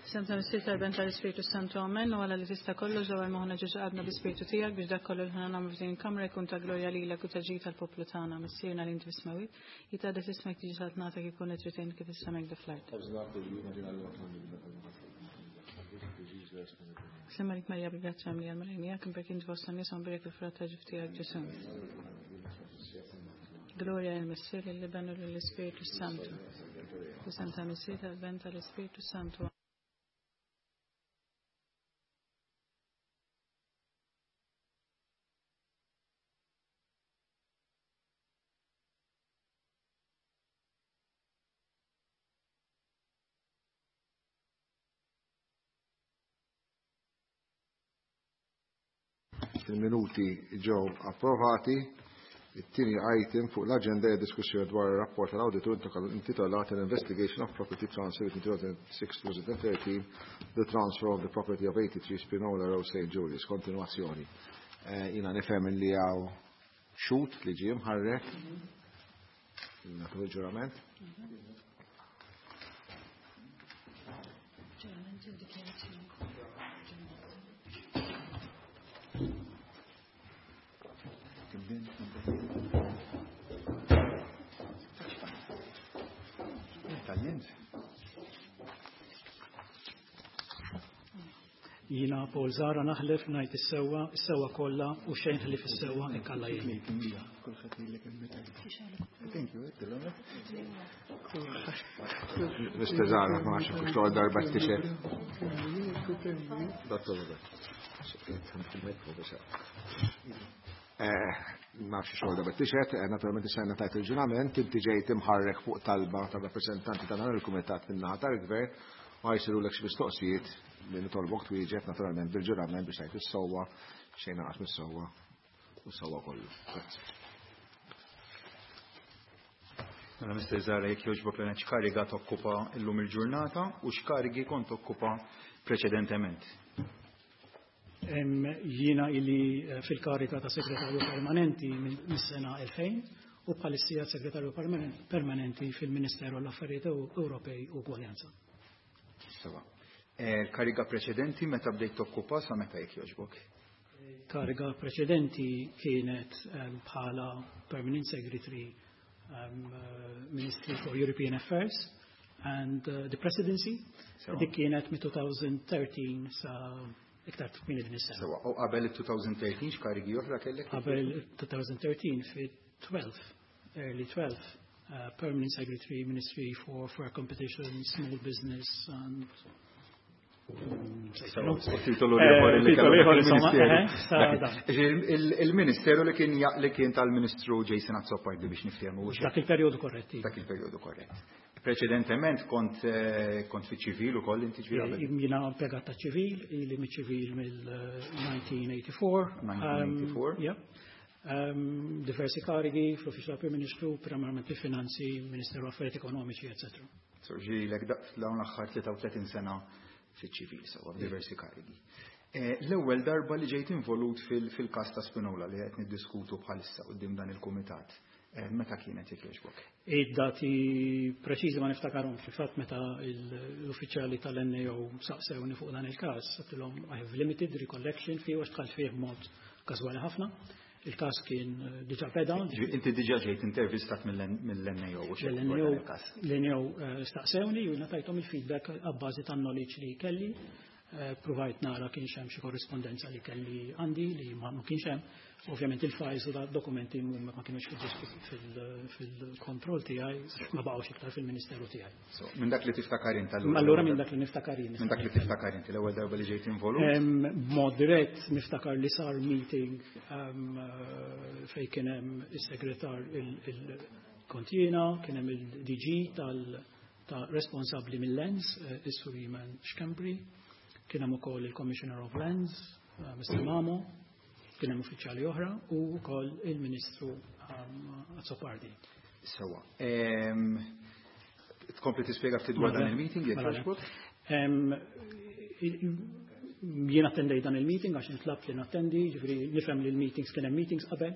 Sem ta' Missier tal-Ben tal-Ispirtu Santu Amen u għala li tista' kollox ġewwa moħħna ġeġu għadna bi-Spirtu tiegħek biex dak kollu li ħana nagħmlu f'din il-kamra jkun ta' glorja lilek u ta' ġid tal-poplu tagħna. Missierna li inti fis-smewwiet, jitgħaddes ismek tiġi saltnatek ikun qed trid kif is-semek dak fl-art. Sema lik Marija bil-grazzja mlija l-Mulej miegħek, imberk inti fost in-nies u mbierek il-frott ta' ġuf tiegħek Ġesù. Gloria lill-Missier, lill-Iben u lill-Ispirtu Santu. Isem ta' Missier tal-Ben tal-Ispirtu Santu. Il-minuti ġew approvati. It-tieni item fuq l-aġenda hija diskussjoni dwar ir-rapport tal-awditur intitolat An Investigation of Property Transfer between 2006-2013, the transfer of the property of 83 Spinola Road St. Julius. Kontinuazzjoni. Jiena nifhem li hawn xhud li ġie mħarrek. Nagħtu il-ġurament. Ġurament u dikjarazzjoni. Jiena Paul Zahra naħlef ngħid is-sewwa, is-sewwa kollha u xejn ħlief is-sewwa hekk Alla jgħin. Mr. Zahra, ma nafx kux l darba t-tixet. Dottor Robert. Ma nafx xogħol darba t-tixet, naturalment issa tajt il-ġurament, inti ġejt imħarrek fuq talba ta' rappresentanti ta' dan il-kumitat min-naħa tal-gvern u ħa jsirulek xi mistoqsijiet li nitolbok twieġeb naturalment bil-ġurament biex tgħid is-sewwa xejn anqas mis-sewwa u s-sewwa kollu. Grazzi. Mela Mr. Zahra, jekk jogħġbok l x'kariga tokkupa illum il-ġurnata u x'karigi kont tokkupa preċedentement. Jiena ili fil-karika ta' segretarju permanenti mis-sena 2000 u bħalissija segretarju permanenti fil-Ministeru għall-Affarijiet Ewropej u Ugwaljanza. Sewa. Kariga preċedenti meta bdejt tokkupa sa meta jekk jogħġbok? Kariga preċedenti kienet bħala Permanent Secretary Ministry for European Affairs and the Presidency. Dik kienet mit-2013 sa iktar kmieni din is-sena. Sewa, u qabel il-2013 x'karigi oħra kellek? Qabel il-2013 fi 12, early 12, Permanent Secretary Ministry for Competition, Small Business and Titolu ieħor li Titolu ieħor, insomma, il-Ministeru. sa dan. Il-Ministeru li kien tal-Ministru Jason Azzopardi biex niftehmu. Dak il-perjodu korrett. Dak il-perjodu korrett. Preċedentement kont fiċ-ċivil ukoll inti ġifieri qabel? Jiena impjegat ta' ċivil, ili miċ-ċivil mill-1984. 1984. Yeah. Diversi karigi fl-Uffiċċju tal-Prim Ministru, primarment fil-Finanzi, Ministeru Affarijiet Ekonomiċi, eccetera. Sorġi lek dawn l-aħħar 33 sena fiċ-ċivil, sewa diversi karigi. L-ewwel darba li ġejt involut fil-każ ta' Spinola li qed niddiskutu bħalissa quddiem dan il-kumitat, meta kienet jekk jogħġbok? Id-dati preċiżi ma niftakarhomx, fil-fatt meta l-uffiċjali tal-NAO saqsewni fuq dan il-każ, għedtilhom I have limited recollection fih għax dħalt fih b'mod każwali ħafna. Il-każ kien diġà beda. Inti diġà ġejt intervistat mill-NAO u xejn L-N A O dwar dan il-każ. L-N A O staqsewni u jiena tajthom il-feedback għabbażi tan-knowledge li kelli. Provajt nara kienx hemm xi korrispondenza li kelli għandi li ma kienx hemm. Ovvjament il-files u dokumenti ma kienux fil-kontroll tiegħi, ma baqgħux iktar fil-Ministeru tiegħi. So, minn dak li tiftakar int allura? Allura minn dak li niftakar jien. Minn dak li tiftakar inti l-ewwel darba li ġejt involut? B'mod dirett niftakar li sar meeting fejn kien hemm is-segretar il-kontjina, kien hemm il-DG ta' responsabbli mill-Lands, is-Sur Iman Schembri, kien hemm ukoll il-Commissioner of Lands, Mr. Mamo, kien hemm uffiċjali oħra u wkoll il-Ministru Azzopardi. Sewa. Tkompli tispjega ftit dwar dan il-meeting jekk jogħġbok? Jien attendej dan il-meeting għax intlabt li nattendi, ġifieri nifhem li l-meetings kien hemm meetings qabel.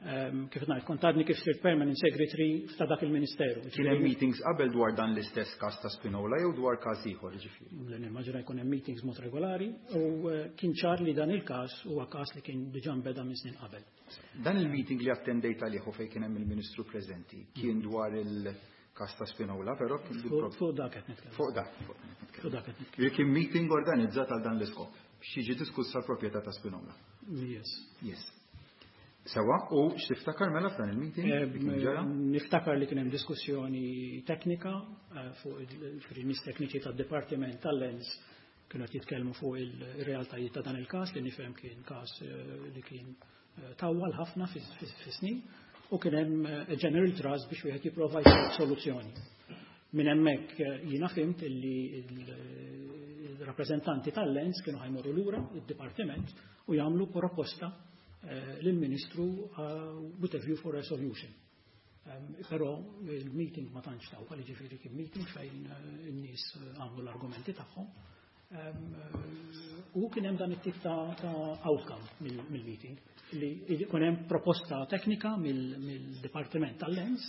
Kif ngħid, kont għadni kif sirt permanent secretary ta' dak il-ministeru. Kien hemm meetings qabel dwar dan l-istess każ ta' Spinola jew dwar każ ieħor, ġifieri? Le, nimmaġina jkun hemm meetings mod regolari u kien ċar li dan il-każ huwa każ li kien diġà nbeda minn snin qabel. Dan il-meeting li attendejt għalih u fejn kien hemm il-Ministru preżenti kien dwar il-każ ta' Spinola, però kien Fuq dak qed nitkellem. Fuq dak, fuq dak qed nitkellem. Fuq dak qed nitkellem. Kien meeting organizzat għal dan l-iskop biex jiġi diskussa l-proprjetà ta' Spinola. Yes. Yes. Sewa, u x'tiftakar mela f'dan il-meeting? Kien ġara? Niftakar li kien hemm diskussjoni teknika fuq il-nies tekniċi tad-Dipartiment tal-Lands kienu qed jitkellmu fuq il-realtajiet ta' dan il-każ li nifhem kien każ li kien tawwal ħafna fis-snin u kien hemm general trust biex wieħed jipprova jsib soluzzjoni. Minn hemmhekk jiena fhimt illi il-rappreżentanti tal-Lands kienu ħa jmorru lura id-dipartiment u jagħmlu proposta lill-Ministru with a view for a solution. Però il-meeting ma tantx tawwal, jiġifieri kien meeting fejn in-nies għamlu l-argumenti tagħhom. U kien hemm dan it-tip ta' outcome mill-meeting li jkun hemm proposta teknika mill-Dipartiment tal-Lands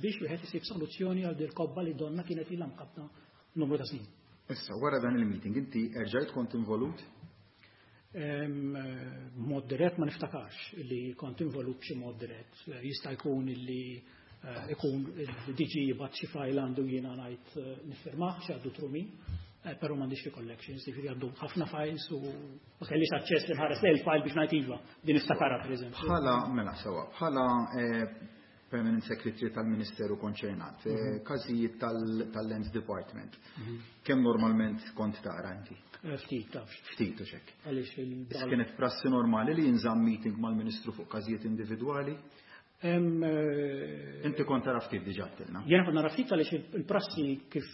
biex wieħed isib soluzzjoni għal dil kobba li donna kienet ilha mkabta numru ta' snin. Issa, wara dan il-meeting, inti erġajt kont involut? Mod dirett ma niftakarx li kont involut b'xi mod dirett. Jista' jkun li ikun il-DG jibgħat xi file għandu jiena ngħid niffirmah xi għaddu through me, però m'għandix recollections, jiġifieri għaddu ħafna files u ma kellix aċċess li nħares lejn il-file biex ngħid iva, din niftakarha pereżempju. Bħala, mela sewa, bħala Permanent Secretary tal-Ministeru konċernat, każijiet tal-Lands Department, kemm normalment kont tara inti? Ftit, tafx. Ftit u xek. Għaliex il- Issa kienet prassi normali li jinżamm meeting mal-Ministru fuq każijiet individwali? Inti kont tara ftit diġà għedtilna. Jiena kont nara ftit għaliex il-prassi kif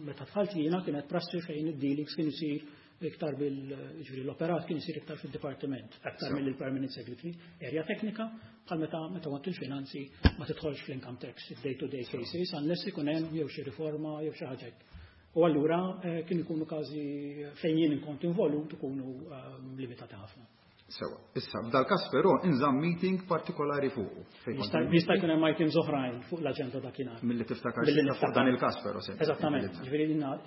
meta dħalt jiena kienet prassi fejn id-dealings kien isir iktar bil, ġifieri l-operat kien isir iktar fid-dipartiment, aktar mill-Permanent Secretary, area teknika, bħal meta kont il-finanzi ma tidħolx fl-income tax, day-to-day cases, unless ikun hemm jew xi riforma jew xi ħaġa hekk. U allura kien ikunu każi fejn jien inkont involut ikunu limitati ħafna. Sewa, issa f'dal-każ però inżamm meeting partikolari fuqu. Fejn kont Jista' jkun hemm items oħrajn fuq l-aġenda dakinhar. Milli tiftakar Milli fuq niftakar. dan il-każ però se. Eżattament. Ġifieri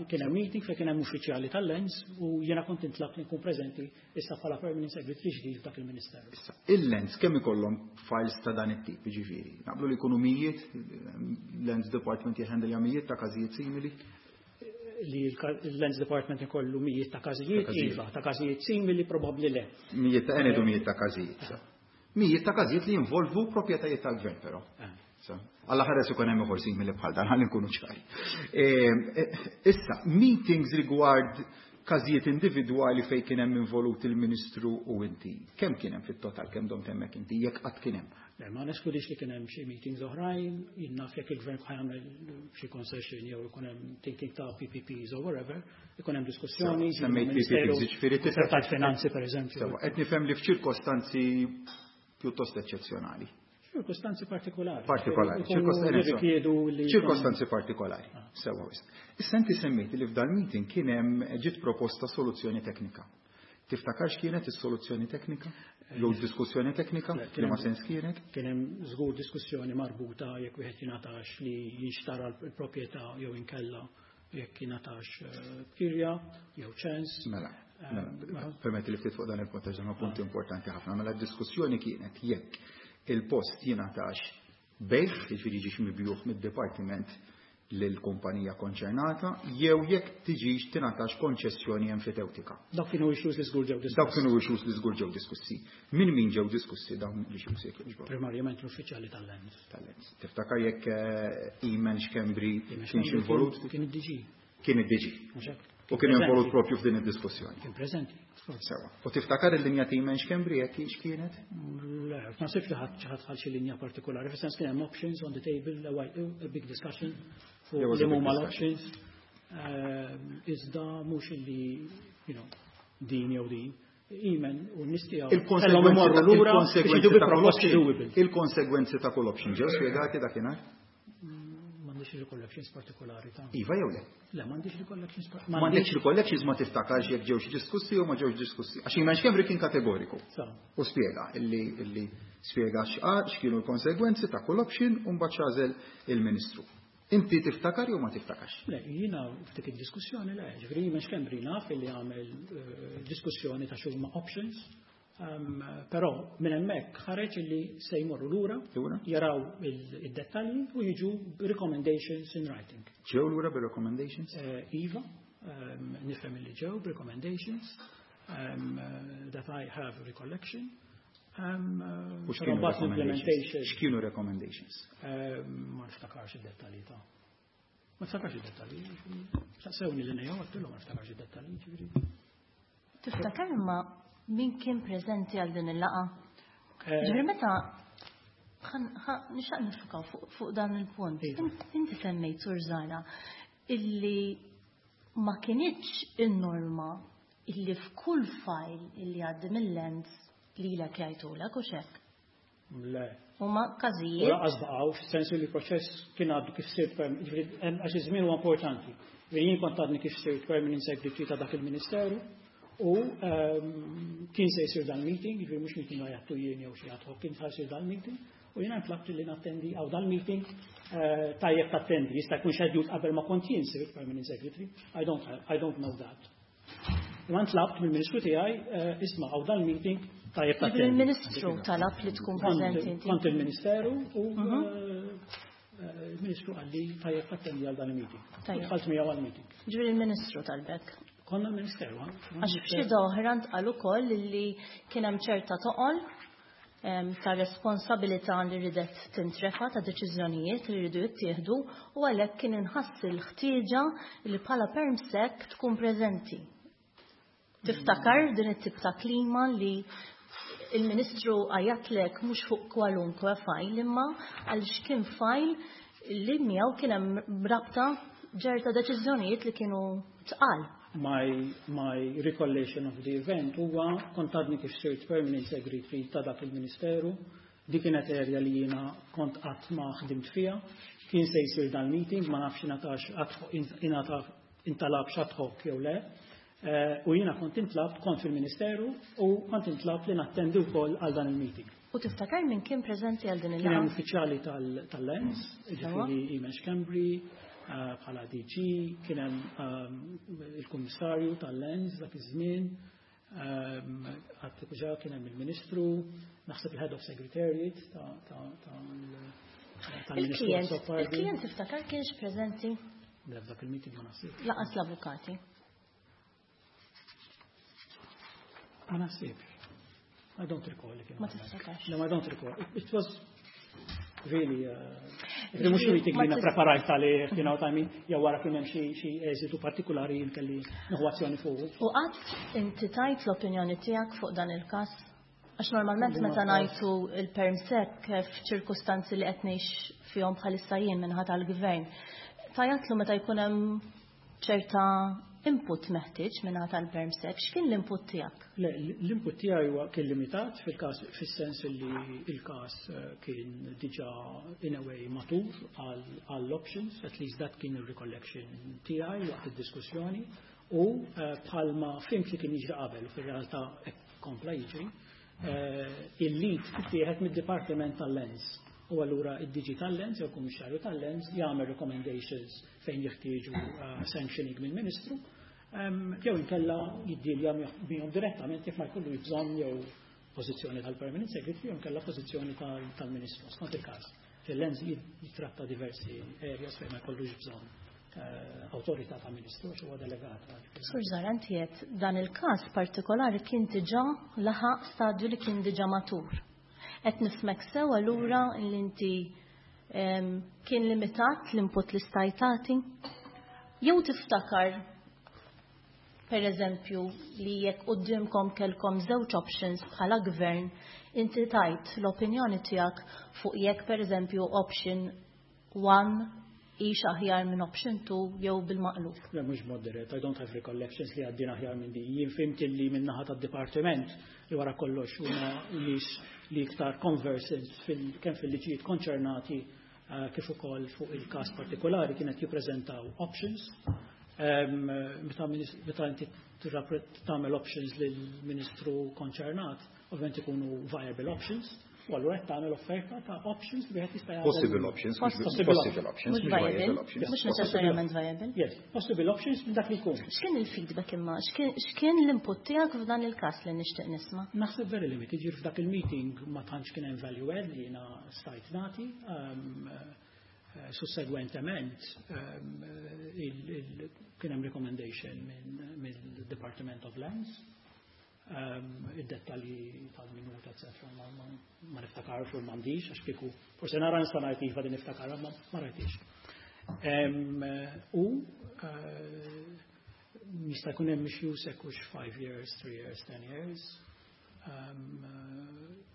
kien hemm meeting fejn kien hemm uffiċjali tal-Lands u jiena kont intlabt li nkun preżenti issa bħala permanent secretary ġdid f'dak il-Ministeru. Issa, il-Lands kemm ikollhom files ta' dan it-tip, jiġifieri? Naqblu li jkunu mijiet, Lands Department jħendelja mijiet ta' każijiet simili? Li l-Lands Department ikollu mijiet ta' każijiet, Ta' każijiet. iva, ta' każijiet simili probabbli le. Mijiet ta' enedu mijiet ta' każijiet. Mijiet ta' każijiet li jinvolvu proprjetajiet tal-gvern però. Alla ħares ikun hemm ieħor simili bħal dan, ħalli nkunu ċari. Issa, meetings rigward każijiet individwali fejn kien hemm involut il-Ministru u inti. Kemm kien hemm fit-total, kemm domt hemmhekk inti, jekk qatt kien hemm? Le, ma neskludix li kien hemm xi meetings oħrajn, jien naf jekk il-gvern ħa jagħmel xi concession jew ikun hemm thinking ta' PPPs or whatever, ikun hemm diskussjoni, Sewa, semmejt ministeru PPPs, jiġifieri tista' tal-finanzi pereżempju. Sewa, qed nifhem li f'ċirkostanzi pjuttost eċċezzjonali. Ċirkostanzi partikolari. Partikolari, Ikunu jirrikjedu li ċirkostanzi partikolari. Sewa wisq. Issa inti semmejt li f'dal meeting kien hemm ġiet proposta soluzzjoni teknika. Tiftakar x'kienet is-soluzzjoni teknika? Jew diskussjoni teknika? Le, Li ma sens kienet? Kien hemm żgur diskussjoni marbuta jekk wieħed jingħatax li jinxtara l-proprjetà jew inkella jekk jingħatax b'kirja jew ċens. Mela, mela, permetti li ftit fuq dan il-punt, għax dan huwa punt importanti ħafna. Mela d-diskussjoni kienet jekk il-post jingħatax bejgħ, jiġifieri jiġix mibjugħ mid-dipartiment lill-kumpanija konċernata, jew jekk tiġix tingħatax konċessjoni enfitewtika. Dawk kienu issues li żgur ġew diskussi. Dawk kienu issues li żgur ġew diskussi. Min min ġew diskussi dawn l-issues jekk jogħġbok? Primarjament l-uffiċjali tal-Lands. Tal-Lands. Tiftakar jekk Eamon Schembri Eamon kienx Schembri involut? Kien id-DG. Kien id-DG. Mhux hekk? U kien Preżenti. involut propju f'din id-diskussjoni. Kien preżenti. Sewa. U tiftakar il-linja ta' Eamon Schembri jekk kienx kienet? Le, ma nasibx li ħadd xi ħadd ħal xi linja partikolari. Fis-sens kien hemm options on the table, a big discussion fuq There was a li big huma discussion. l-options. Iżda mhux illi, din jew din. Eamon u n-nies tiegħu kellhom imorru lura biex jiġu bi proposti doable. Il-konsegwenzi ta' kull option ġew spjegati dakinhar? M'għandix recollections partikolari ta' Iva jew le? Le, m'għandix recollections M'għandekx recollections, ma tiftakarx jekk ġewx diskussi jew ma ġewx diskussi. Għax Eamon Schembri kien kategoriku. Sa. U spjega illi Spjega x'kienu l-konsegwenzi ta' kull option u mbagħad x'għażel il-Ministru. Inti tiftakar jew ma tiftakax? Le, jiena f'dik id-diskussjoni le, ġifieri Eamon Schembri naf li għamel diskussjoni ta' x'huma options, però minn hemmhekk ħareġ li se jmorru lura, jaraw id-dettalji u jiġu recommendations in writing. Ġew lura bir-recommendations? Iva, nifhem li ġew recommendations that I have recollection. U x'kienu recommendations? Ma niftakarx id-dettalji ta'. Ma niftakarx id-dettalji. Saqsewni li nejja, għedtilhom ma niftakarx id-dettalji, ġifieri. Tiftakar imma min kien preżenti għal din il-laqgħa? Ġifieri meta nixtaq nifukaw fuq dan il-punt. Inti semmejt, Sur Zahra, illi ma kinitx in-norma illi f'kull file illi għaddi mill-Lands li l jgħidulek u xek. Le. Huma każijiet. U lanqas baqgħu, fis-sens li l-proċess kien għaddu kif sirt, għax iż-żmien huwa importanti. Jien kont għadni kif sirt permanent secretary ta' dak il-Ministeru u kien se jsir dan meeting, ġifieri mhux meeting għajattu jien jew xi ad hoc, kien se jsir dan meeting u jiena ntlabt li nattendi għaw dan meeting, tajjeb tattendi, jista' jkun scheduled qabel ma kont jien sirt permanent secretary, I don't know that. Imma ntlabt mill-Ministru tiegħi, isma', għaw dan meeting, tajjeb tattendi. Il-Ministru talab li tkun preżenti inti. Kont il-Ministeru u il-Ministru qalli tajjeb tattendi għal dan il-meeting. Dħalt miegħu għal-meeting. Ġifieri il-Ministru talbek. Konna l-Ministeru. Għax f'xi oħra ntqal ukoll li kien hemm ċerta toqol ta' responsabilità li ridet tintrefa ta' deċiżjonijiet li rridu jittieħdu u għalhekk kien inħass il-ħtieġa li bħala permsec tkun preżenti. Tiftakar din it-tip ta' klima li il-Ministru għajjatlek mhux fuq kwalunkwe file imma għaliex kien file li miegħu kien hemm rabta ċerta deċiżjonijiet li kienu tqal? My recollection of the event huwa kont għadni kif sirt permanent secretary ta' dak il-Ministeru, dik kienet area li jiena kont qatt ma ħdimt fiha, kien se jsir dan meeting, ma nafx ingħatax ingħata intalab ad hoc jew le. U jiena kont intlabt, kont fil-Ministeru u kont intlabt li nattendi wkoll għal dan il-meeting. U tiftakar min kien preżenti għal din Kien hemm il-laqgħa? uffiċjali tal-Lands, ġifieri Eamon Schembri, bħala DG, kien hemm il-Kummissarju tal-Lands dak iż-żmien, għad diġà kien hemm il-Ministru, naħseb il-Head of Secretariat tal-Ministru Il-klient, Azzopardi. il-klient tiftakar kienx preżenti? Le, f'dak il-meeting ma naħsibx. Lanqas l-avukati. Ma naħsibx. I don't recall li kienu Ma hemmhekk. tiftakarx. No, I don't recall. It was really, mhux meeting Ma li preparajt għalih, you know what I mean? Jew wara kien hemm xi eżitu partikolari jien kelli nieħu azzjoni fuq. U qatt inti tajt l-opinjoni tiegħek fuq dan il-każ? Għax normalment Li ma meta taf. ngħidu il-permsec f'ċirkustanzi li qed ngħix fihom bħalissa jien minħat tal-gvern. Tajatlu meta jkun hemm ċerta input meħtieġ minħat tal-permsec, x'kien l-input tiegħek? Le, l-input tiegħi huwa kien limitat fil-każ, fis-sens li il-każ kien diġà in a way matur għall-options, at least that kien il-recollection tiegħi waqt id-diskussjoni u bħalma fhimt li kien jiġri qabel u fir-realtà hekk kompla jiġri, il-lead tittieħed mid-Dipartiment tal-Lands. U allura id-DG tal-Lands jew il-Kummissarju tal-Lands jagħmel recommendations fejn jeħtieġu sanctioning mill-Ministru, jew inkella jiddilja bihom direttament jekk ma jkollu bżonn jew pożizzjoni tal-Permanent Secretary jew inkella pożizzjoni tal-Ministru, skont il-każ. Il-Lands jitratta diversi areas fejn ma jkollux bżonn awtorità ta' Ministru għax huwa delegat. Sur Zahra, inti qed dan il-każ partikolari kien diġà laħaq stadju li kien diġà matur. Qed nifhmek sew allura li inti kien limitat l-input li stajt tagħti? Jew tiftakar per eżempju li jekk qudiemkom kellkom żewġ options bħala gvern, inti tajt l-opinjoni tiegħek fuq jekk per eżempju option 1 hix aħjar minn option 2 jew bil-maqlub? Le, mhux moderate, I don't have recollections li għaddin aħjar minn di. Jien fhimt li minn naħa tad-dipartiment li wara kollox huma nies li iktar conversant kemm fil-liġijiet konċernati kif ukoll fuq il-każ partikolari kienet jippreżentaw options. Meta inti tagħmel options lill-ministru konċernat, ovvjament ikunu viable options. U allura qed tagħmel offerta ta' options li wieħed jista' jagħmel. Possible options, possible options, mhux viable options. Mhux neċessarjament viable. Yes, possible options minn dak li jkun. X'kien il-feedback imma? X'kien l-input tiegħek f'dan il-każ li nixtieq nisma'? Naħseb very limited, ġifieri f'dak il-meeting ma tantx kien hemm value add li jiena stajt nagħti. Sussegwentement kien hemm recommendation mill-Department of Lands. Id-dettalji tal-minuta, etc. Ma niftakarx u m'għandix, għax kieku forse nara nista' ngħid iva din niftakar, ma rajtix. U jista' jkun hemm issues hekk hux 5 years, 3 years, 10 years.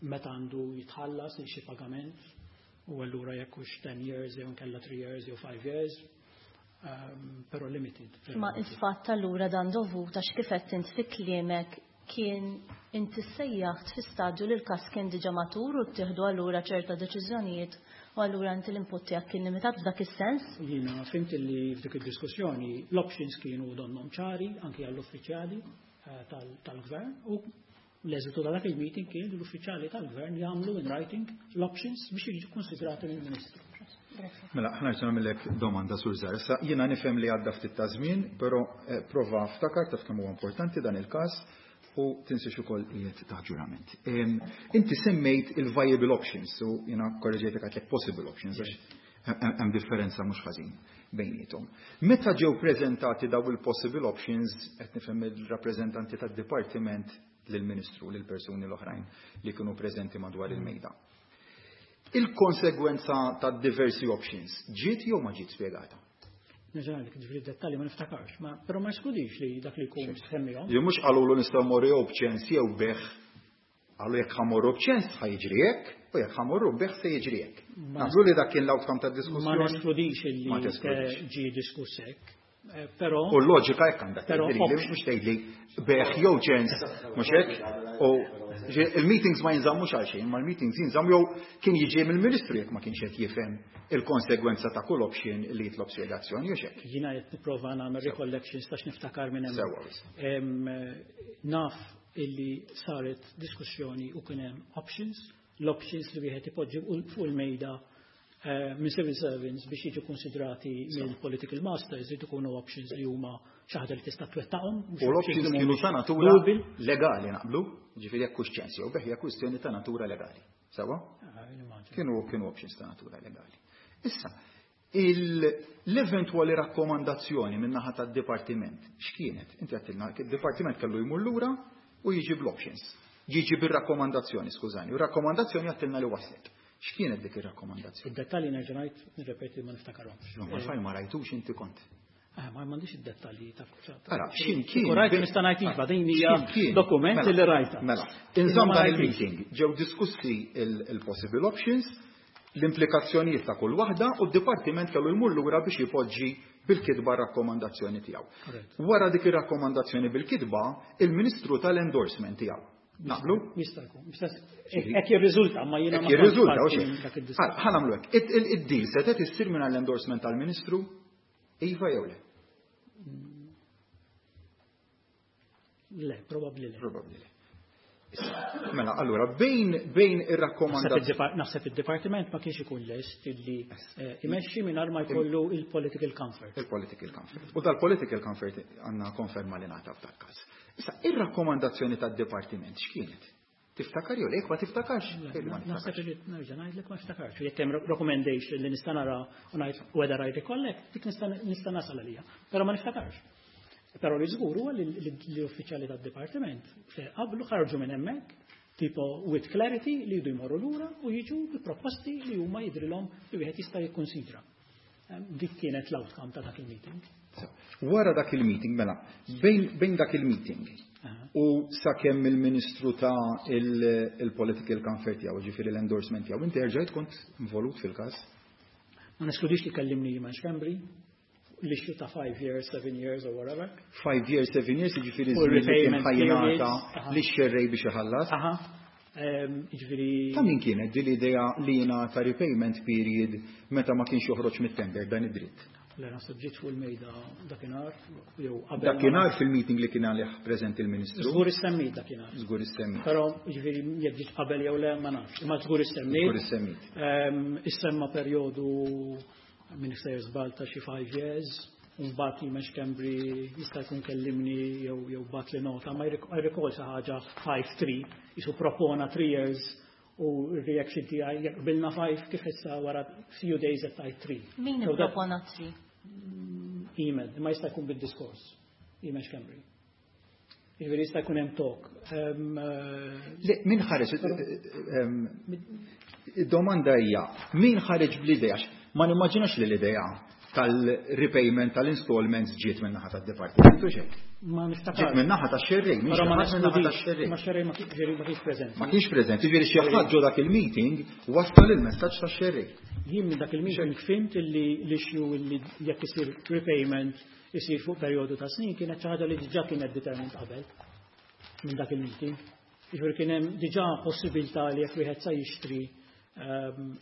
Meta għandu jitħallas xi pagament u allura jekk hux 10 years jew inkella 3 years jew 5 years, però limited. Ma il-fatt allura dan dovut għax kif qed int fi kliemek kien inti sejjaħt fi stadju li l-każ kien diġà matur u ttieħdu allura ċerta deċiżjonijiet u allura inti l-input tiegħek kien limitat f'dak is-sens? Jiena fhimt li f'dik id-diskussjoni l-options kienu donnhom ċari anki għall-uffiċjali tal-gvern u l-eżitu ta' dak il-meeting kien li l-uffiċjali tal-gvern jagħmlu in writing l-options biex jiġu konsidrati mill-Ministru. Mela, ħa nerġa' nagħmellek domanda, Sur Zahra. Issa jiena nifhem li għadda ftit ta' żmien, però prova ftakar, taf kemm huwa importanti dan il-każ u tinsiex ukoll qiegħed taħt ġurament. Inti semmejt il-viable options, u jiena korreġejtek, għedtlek possible options, għax hemm differenza mhux ħażin bejniethom. Meta ġew preżentati daw il-possible options, qed nifhem il-rappreżentanti tad-dipartiment lill-Ministru, lill-persuni l-oħrajn li kienu preżenti madwar il-mejda, il-konsegwenza ta' diversi options ġiet jew ma ġiet spjegata? Nerġa' ngħidlek, ġifieri dettalji ma niftakarx, ma però ma jeskludix li dak li jkun semmihom. Jew mhux qalulu nistgħu mmorru jew b'ċens jew b'bejgħ. Qalu jekk ħa mmorru b'ċens ħa jiġri hekk u jekk ħa mmorru b'bejgħ se jiġri hekk. Naqblu li dak kien l-outcome tad-diskussjoni. Ma neskludix li Ma teskludix. Ġie diskuss hekk. Però U l-loġika hekk għandek Però tgħidli, mhux tgħidli bejgħ jew ċens, mhux hekk? U il-meetings ma jinżammux għal xejn, ma l-meetings jinżammu jew kien jiġi mill-Ministru jekk ma kienx qed jifhem il-konsegwenza ta' kull option li jitlob spjegazzjoni jew x'hekk. Jiena qed nipprova nagħmel recollections tax niftakar minn hemm. Sewwa wisq. Naf illi saret diskussjoni u kien hemm options, l-options li wieħed ipoġġi fuq il-mejda minn civil servants biex jiġu konsidrati mill-political masters li ikunu options li huma xi ħaġa li tista' twettaqhom. U l-options kienu ta' natura legali, naqblu, ġifieri jekk hux ċens jew bejgħ hija kwistjoni ta' natura legali. Sewwa? Ah, nimmaġina. Kienu options ta' natura legali. Issa, l-eventwali rakkomandazzjoni min-naħa tad-dipartiment x'kienet? Inti għedtilna id-dipartiment kellu jmur lura u jiġi bl-options. Jiġi bir-rakkomandazzjoni, skużani, u rakkomandazzjoni għedtilna li waslet. X'kienet dik ir-rakkomandazzjoni? Id-dettalji nerġa' ngħid, nirrepeti, ma niftakarhomx. No, ma fajn ma rajtux inti kont. Ma m'għandix id-dettalji ta' Ara, x'imkien. Rajt nista' ngħid iva, din hija X'imkien. dokument Mela, li rajta. Mela, inżomm Ma dan rajtix. il-meeting, ġew diskussi il-possible options, l-implikazzjonijiet ta' kull waħda u d-dipartiment kellu jmur lura biex jipoġġi bil-kitba rakkomandazzjoni tiegħu. Correct. Wara dik ir-rakkomandazzjoni bil-kitba, il-Ministru tal-endorsement tiegħu. Naqblu? Jista' jkun. Hekk jirriżulta, ma jiena Hekk ma jirriżulta, kontx u parti xejn. minn dak id-diskors. Ħa nagħmlu hekk. Id-deal setgħet issir minn l-endorsement tal-Ministru? Iva jew le? Le, probabbli le. Probabbli le. Issa, mela, allura, bejn ir-rakkomandazzjoni. Naħseb id-dipartiment ma kienx ikun lest illi imexxi mingħajr ma jkollu il-political comfort. Il-political comfort. U dal-political comfort għandna konferma li ngħata f'dak każ. Issa, ir-rakkomandazzjoni tad-dipartiment x'kienet? Tiftakar jew le? Jekk ma tiftakarx, tgħidli ma Naħseb niftakarx. li nerġa' ngħidlek ma niftakarx. Jekk hemm recommendation li nista' nara u ngħid whether I recollect, dik nista' nasal għalija. Però ma niftakarx. Però li żgur huwa li l-uffiċjali tad-dipartiment qablu ħarġu minn hemmhekk tipo with clarity li jridu jmorru lura u jiġu bi proposti li huma jidrilhom li wieħed jista' jikkonsidra. Dik kienet l-outcome ta' dak il-meeting. So, wara dak il-meeting, mela, bejn dak il-meeting u sakemm il-Ministru ta' il-political comfort tiegħu, ġifieri l-endorsement tiegħu, inti erġajt kont involut fil-każ? Ma neskludix li kellimni Iman Schembri, l-issue ta' 5 years, 7 years or whatever. 5 years, 7 years, ġifieri U żmien li kien repayment ħa jingħata periods. li xerrej biex iħallas. Aha. Ġifieri Ta' min kienet din l-idea li jingħata repayment period meta ma kienx joħroġ mit-tender dan id-dritt? Le, naħseb ġiet fuq il-mejda dakinhar jew qabel. Dakinhar fil-meeting li kien għalih preżenti il-Ministru. Żgur issemmit dakinhar. Żgur issemmit. Però jiġifieri jekk ġiet qabel jew le ma nafx, imma żgur issemmit. Żgur issemmit. Issemma perjodu minn sejjer żball ta' xi 5 years, u mbagħad Eamon Schembri jista' jkun kellimni jew bagħatli nota, ma I recall xi ħaġa 5-3, jisu propona 3 years u r-reaction tiegħi jekk qbilna 5 kif issa wara few days qed tgħid 3. Min ippropona 3? Eamon, imma jista' jkun bid-diskors. Eamon Schembri. Jiġifieri jista' jkun hemm talk. Le, min ħareġ, id-domanda hija, min ħareġ bl-idea? Ma nimmaġinax li l-idea tal-repayment tal-installments ġiet minn naħa tad-dipartiment u xejn. Ma niftakar. Ġiet minn naħa tax-xerrej, minn Però ma xi ħadd minn naħa tax-xerrej. Ma xerrej ma kienx preżenti. Ma kienx preżenti, jiġifieri xi ħadd ġo dak il-meeting wassal il-messaġġ tax-xerrej. Jien minn dak il-meeting fhimt illi l-issue illi jekk isir repayment isir fuq perjodu ta' snin kienet xi ħaġa li diġà kienet determined qabel minn dak il-meeting. Jiġifieri kien hemm diġà possibilità li jekk wieħed sa jixtri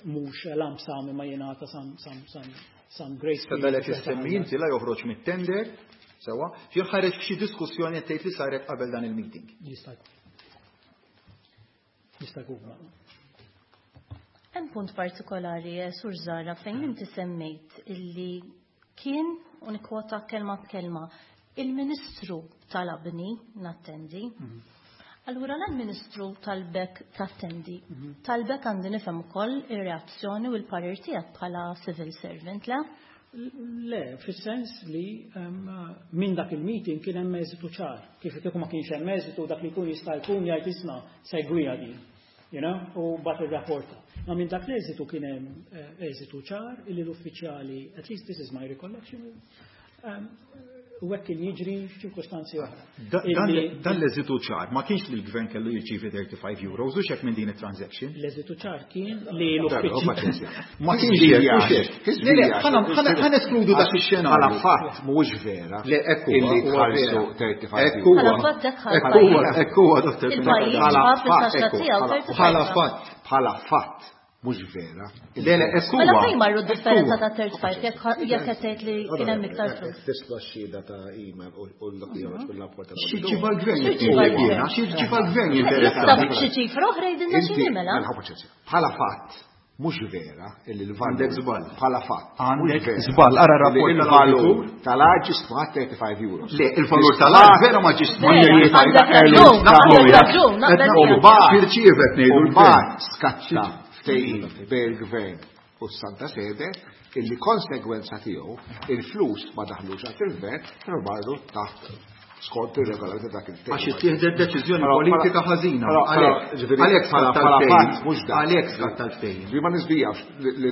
mhux lump sum imma jingħata some grace Sa period. dalek issemmi inti la joħroġ mit-tender, sewa, jew ħareġ f'xi diskussjoni qed tgħid li saret qabel dan il-meeting. Jista' jkun. Jista' jkun. Hemm punt partikolari, Sur Zahra, fejn inti semmejt illi kien, u nikkwota kelma b'kelma, il-Ministru talabni nattendi. Allura l-Ministru talbek tattendi. Talbek għandi nifhem ukoll ir-reazzjoni u l-parir tiegħek bħala civil servant, le? Le, fis-sens li minn dak il-meeting kien hemm eżitu ċar. Kif kieku ma kienx hemm eżitu dak li jkun jista' jkun jgħid isma' segwija din. U bat ir-rapporta. Ma minn dak l-eżitu kien hemm eżitu ċar illi l-uffiċjali, at least this is my recollection, u hekk kien jiġri f'ċirkostanzi oħra. Dan l-eżitu ċar ma kienx li l-gvern kellu jirċievi 35 euros u xek minn din it-transaction. L-eżitu ċar kien li Darba, l-uffiċjali. ma kienx jaf. Ma kienx Kien jaf, jaf. mhux hekk. Kien Le, le, jaf. ħana eskludu dak ix-xenarju. Bħala fatt mhuwiex vera. Le, ekku huwa, Illi huwa tħallsu vera. 35 Ekku huwa. Bħala fatt hekk ħal Ekku huwa, pajjiż. ekku huwa, Dottor Il-pajjiż Pinocchio. Bħala ħa fatt, fil-taxxa ekku, tiegħu bħala- 35. Bħala fatt. Bħala fatt mhux vera. Le, le, ekku Mela huwa. fejn marru d-differenza Ekku ta' 35 jekk qed tgħid li kien hemm iktar flus. Tisla xhieda ta' email u l-dak li joħroġ mill-rapport tal- Xi ċifa l-gvern Xi ċifa l-gvern? jiena, xi ċifa l-gvern Jista' jinteressani. xi ċifra oħra jgħidilna Inti, x'inhi mela? mela, paċenzja. Bħala fatt, mhux vera illi l-valur. Għandek żball. Bħala fatt. Għandek mhux vera. żball, ara rapport Illi il-valur tal-awditur. tal-art ġie stmat 35 euros. Le, il-valur tal-art vera ma ġiex stmat Vera, 35 għandek euros. raġun, għandek raġun, naqbel miegħek. X'irċievet ngħidu U l-gvern. mbagħad skatta ftehim bejn il-gvern u s-Santa Sede illi konsegwenza tiegħu il-flus ma daħlux għand il-gvern però marru taħt skont ir-regolamenti dak il-ftehim. Għax ittieħdet deċiżjoni Però- politika però- ħażina. però- Għalhekk ġifieri, għalhekk bħala skatta bħala l-ftehim. fatt mhux dak. Għalhekk skatta l-ftehim. Ġifieri ma nisbijawx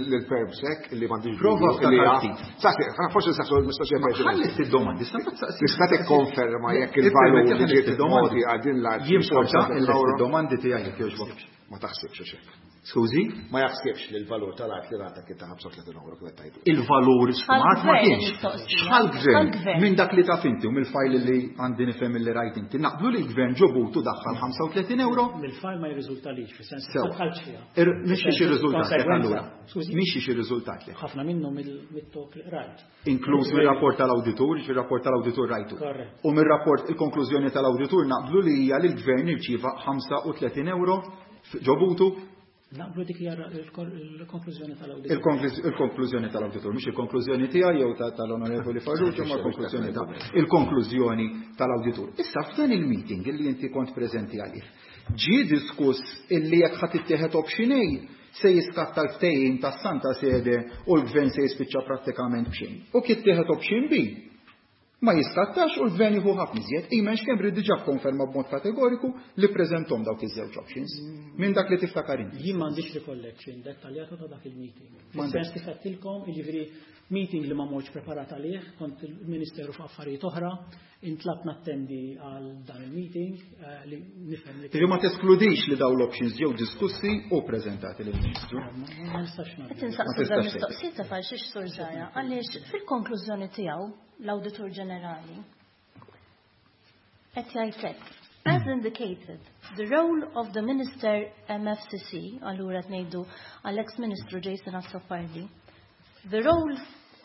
lill-permsek illi m'għandix Prova dubju illi ftakar ha- ftit. Saqsi, forsi nsaqsu l-mistoqsija Ma preċedenti. ħalli id-domandi, sa ma tsaqsi. Tista' tikkonferma jekk il-valur li ġiet mogħti għal din l-art Jimporta mhux 35 euro? il-domandi tiegħek jekk jogħġbok. Ma taħsibx għax hekk. Skużi? Ma jaħsibx li l-valur tal-art li ngħata kien ta' 35 euro kif qed tgħidu. Il-valur stmat ma Għall-gvern kienx. il-mistoqsija. X'ħal-gvern? Għall-gvern. Minn dak li taf inti u mill-fajl li għandi nifhem li rajt inti. Naqblu li l-gvern ġobutu daħħal 35 euro? Mill-fajl ma jirriżultalix, fis-sens Sewa. ma dħaltx fiha. Mhix xi riżultat lek Konsegwenza. allura. Skużi. Mhix xi riżultat lek. Ħafna minnhom mit-talk li qrajt. Inkluż mir-rapport tal-awditur, fir-rapport tal-awditur rajtu. Korrett. U mir-rapport il-konklużjoni tal-awditur naqblu li hija li l-gvern irċieva 35 euro ġobutu. Naqblu dik hija il-konklużjoni tal-awditur. Il-konklużjoni tal-awditur, mhux il-konklużjoni tiegħi jew tal-Onorevoli Farrugia, ma l-konklużjoni ta' il-konklużjoni tal-awditur. Issa f'dan il-meeting illi inti kont preżenti għalih, ġie diskuss illi jekk ħadd ittieħed option A se jiskatta l-ftehim tas-Santa Sede u l-gvern se jispiċċa prattikament b'xejn. U kif ittieħed option B, ma jiskattax u l-gvern jieħu ħafna iżjed. Eamon Schembri diġà kkonferma b'mod kategoriku li preżentom dawk iż-żewġ options. Minn dak li tiftakar inti. Jien m'għandix recollection dettaljata ta' dak il-meeting. M'għandek. Fis-sens kif għedtilkom, jiġifieri meeting li ma mortx preparat għalih, kont il-Ministeru f'affarijiet oħra, intlabt nattendi għal dan il-meeting li nifhem li Ġifieri ma teskludix li dawn l-options ġew diskussi u preżentati lill-Ministru. Ma nistax Qed nagħmel. insaqsu Ma dan tistax mistoqsijiet ta' għal xiex Sur Zahra, għaliex fil-konklużjoni tiegħu l-Awditur Ġenerali qed jgħid hekk. As indicated, the role of the Minister MFCC, allura qed ngħidu għall-ex-Ministru Jason Azzopardi, the role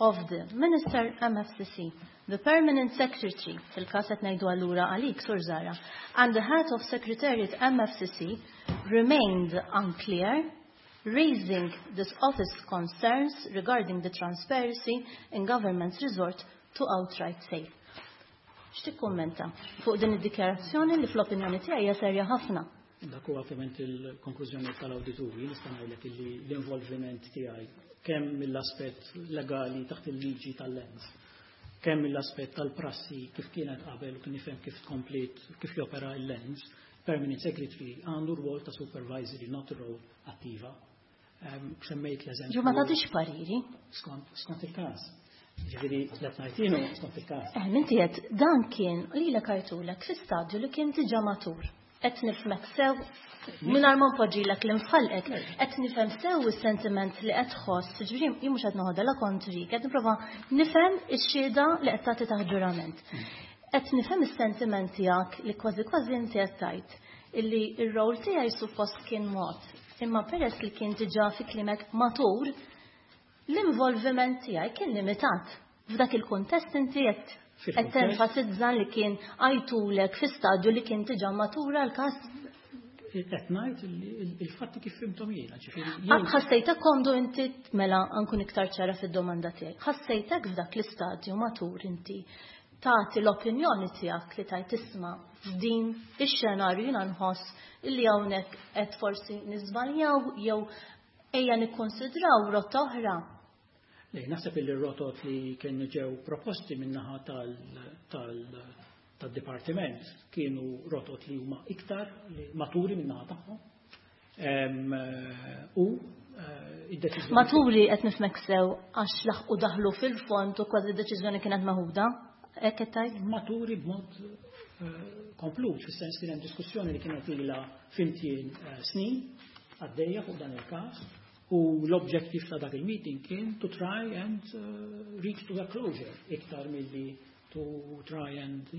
of the Minister MFCC, the Permanent Secretary, fil-każ qed ngħidu allura għalik, Sur Zahra, and the Head of Secretariat MFCC remained unclear, raising this office concerns regarding the transparency in government's resort to outright sale. X'tikkummenta fuq din id-dikjarazzjoni li fl-opinjoni tiegħi hija serja ħafna? Dak huwa ovvjament il-konklużjoni tal-awdituri. Nista' ngħidlek illi l-involviment tiegħi, kemm mill-aspett legali taħt il-liġi tal-Lands, kemm mill-aspett tal-prassi kif kienet qabel u kien nifhem kif tkomplit kif jopera il-Lands, Permanent Secretary għandu rwol ta' supervisory, not role attiva. Semmejt l-eżempju. Ġu ma tagħtix pariri. Skont il-każ. Ġifieri qed ngħid skont il-każ. Inti qed dan kien lilek għajtulek fi stadju li kien diġà matur. Qed nifhmek sew mingħajr ma npoġġilek l-infalqek, qed nifhem sew is-sentiment li qed tħoss, ġifieri jien mhux qed noħodha la kontrik, qed nipprova nifhem ix-xhieda li qed tagħti taħt ġurament. Qed nifhem is-sentiment tiegħek li kważi kważi inti qed tgħid illi r-rol tiegħi suppost kien mod, imma peress li kien diġà fi kliemek matur, l-involviment tiegħi kien limitat. F'dak il-kuntest inti qed tenfasizza li kien għajtulek fi stadju li kien diġà matura l-każ. Qed ngħid il-fatti kif fhimthom jiena, ġifieri. Ħassejtek komdu inti, mela nkun iktar ċara fid-domanda tiegħi. Ħassejtek f'dak l-istadju matur inti tagħti l-opinjoni tiegħek li tajt isma' f'din ix-xenarju jiena nħoss illi hawnhekk qed forsi niżbaljaw jew ejja nikkonsidraw rotta oħra? Le, naħseb illi rotot li kienu ġew proposti min-naħa tad-dipartiment kienu rotot li huma iktar maturi min-naħa tagħhom. U id-deċiżjoni. Maturi qed nifhmek sew għax laħqu daħlu fil-fond u kważi d-deċiżjoni kienet meħuda? Hekk qed tgħid? Maturi b'mod komplut, fis-sens kien hemm diskussjoni li kienet ilha fimtien snin għaddejja fuq dan il-każ u l-objective ta' dak il-meeting kien to try and reach to a closure iktar milli to try and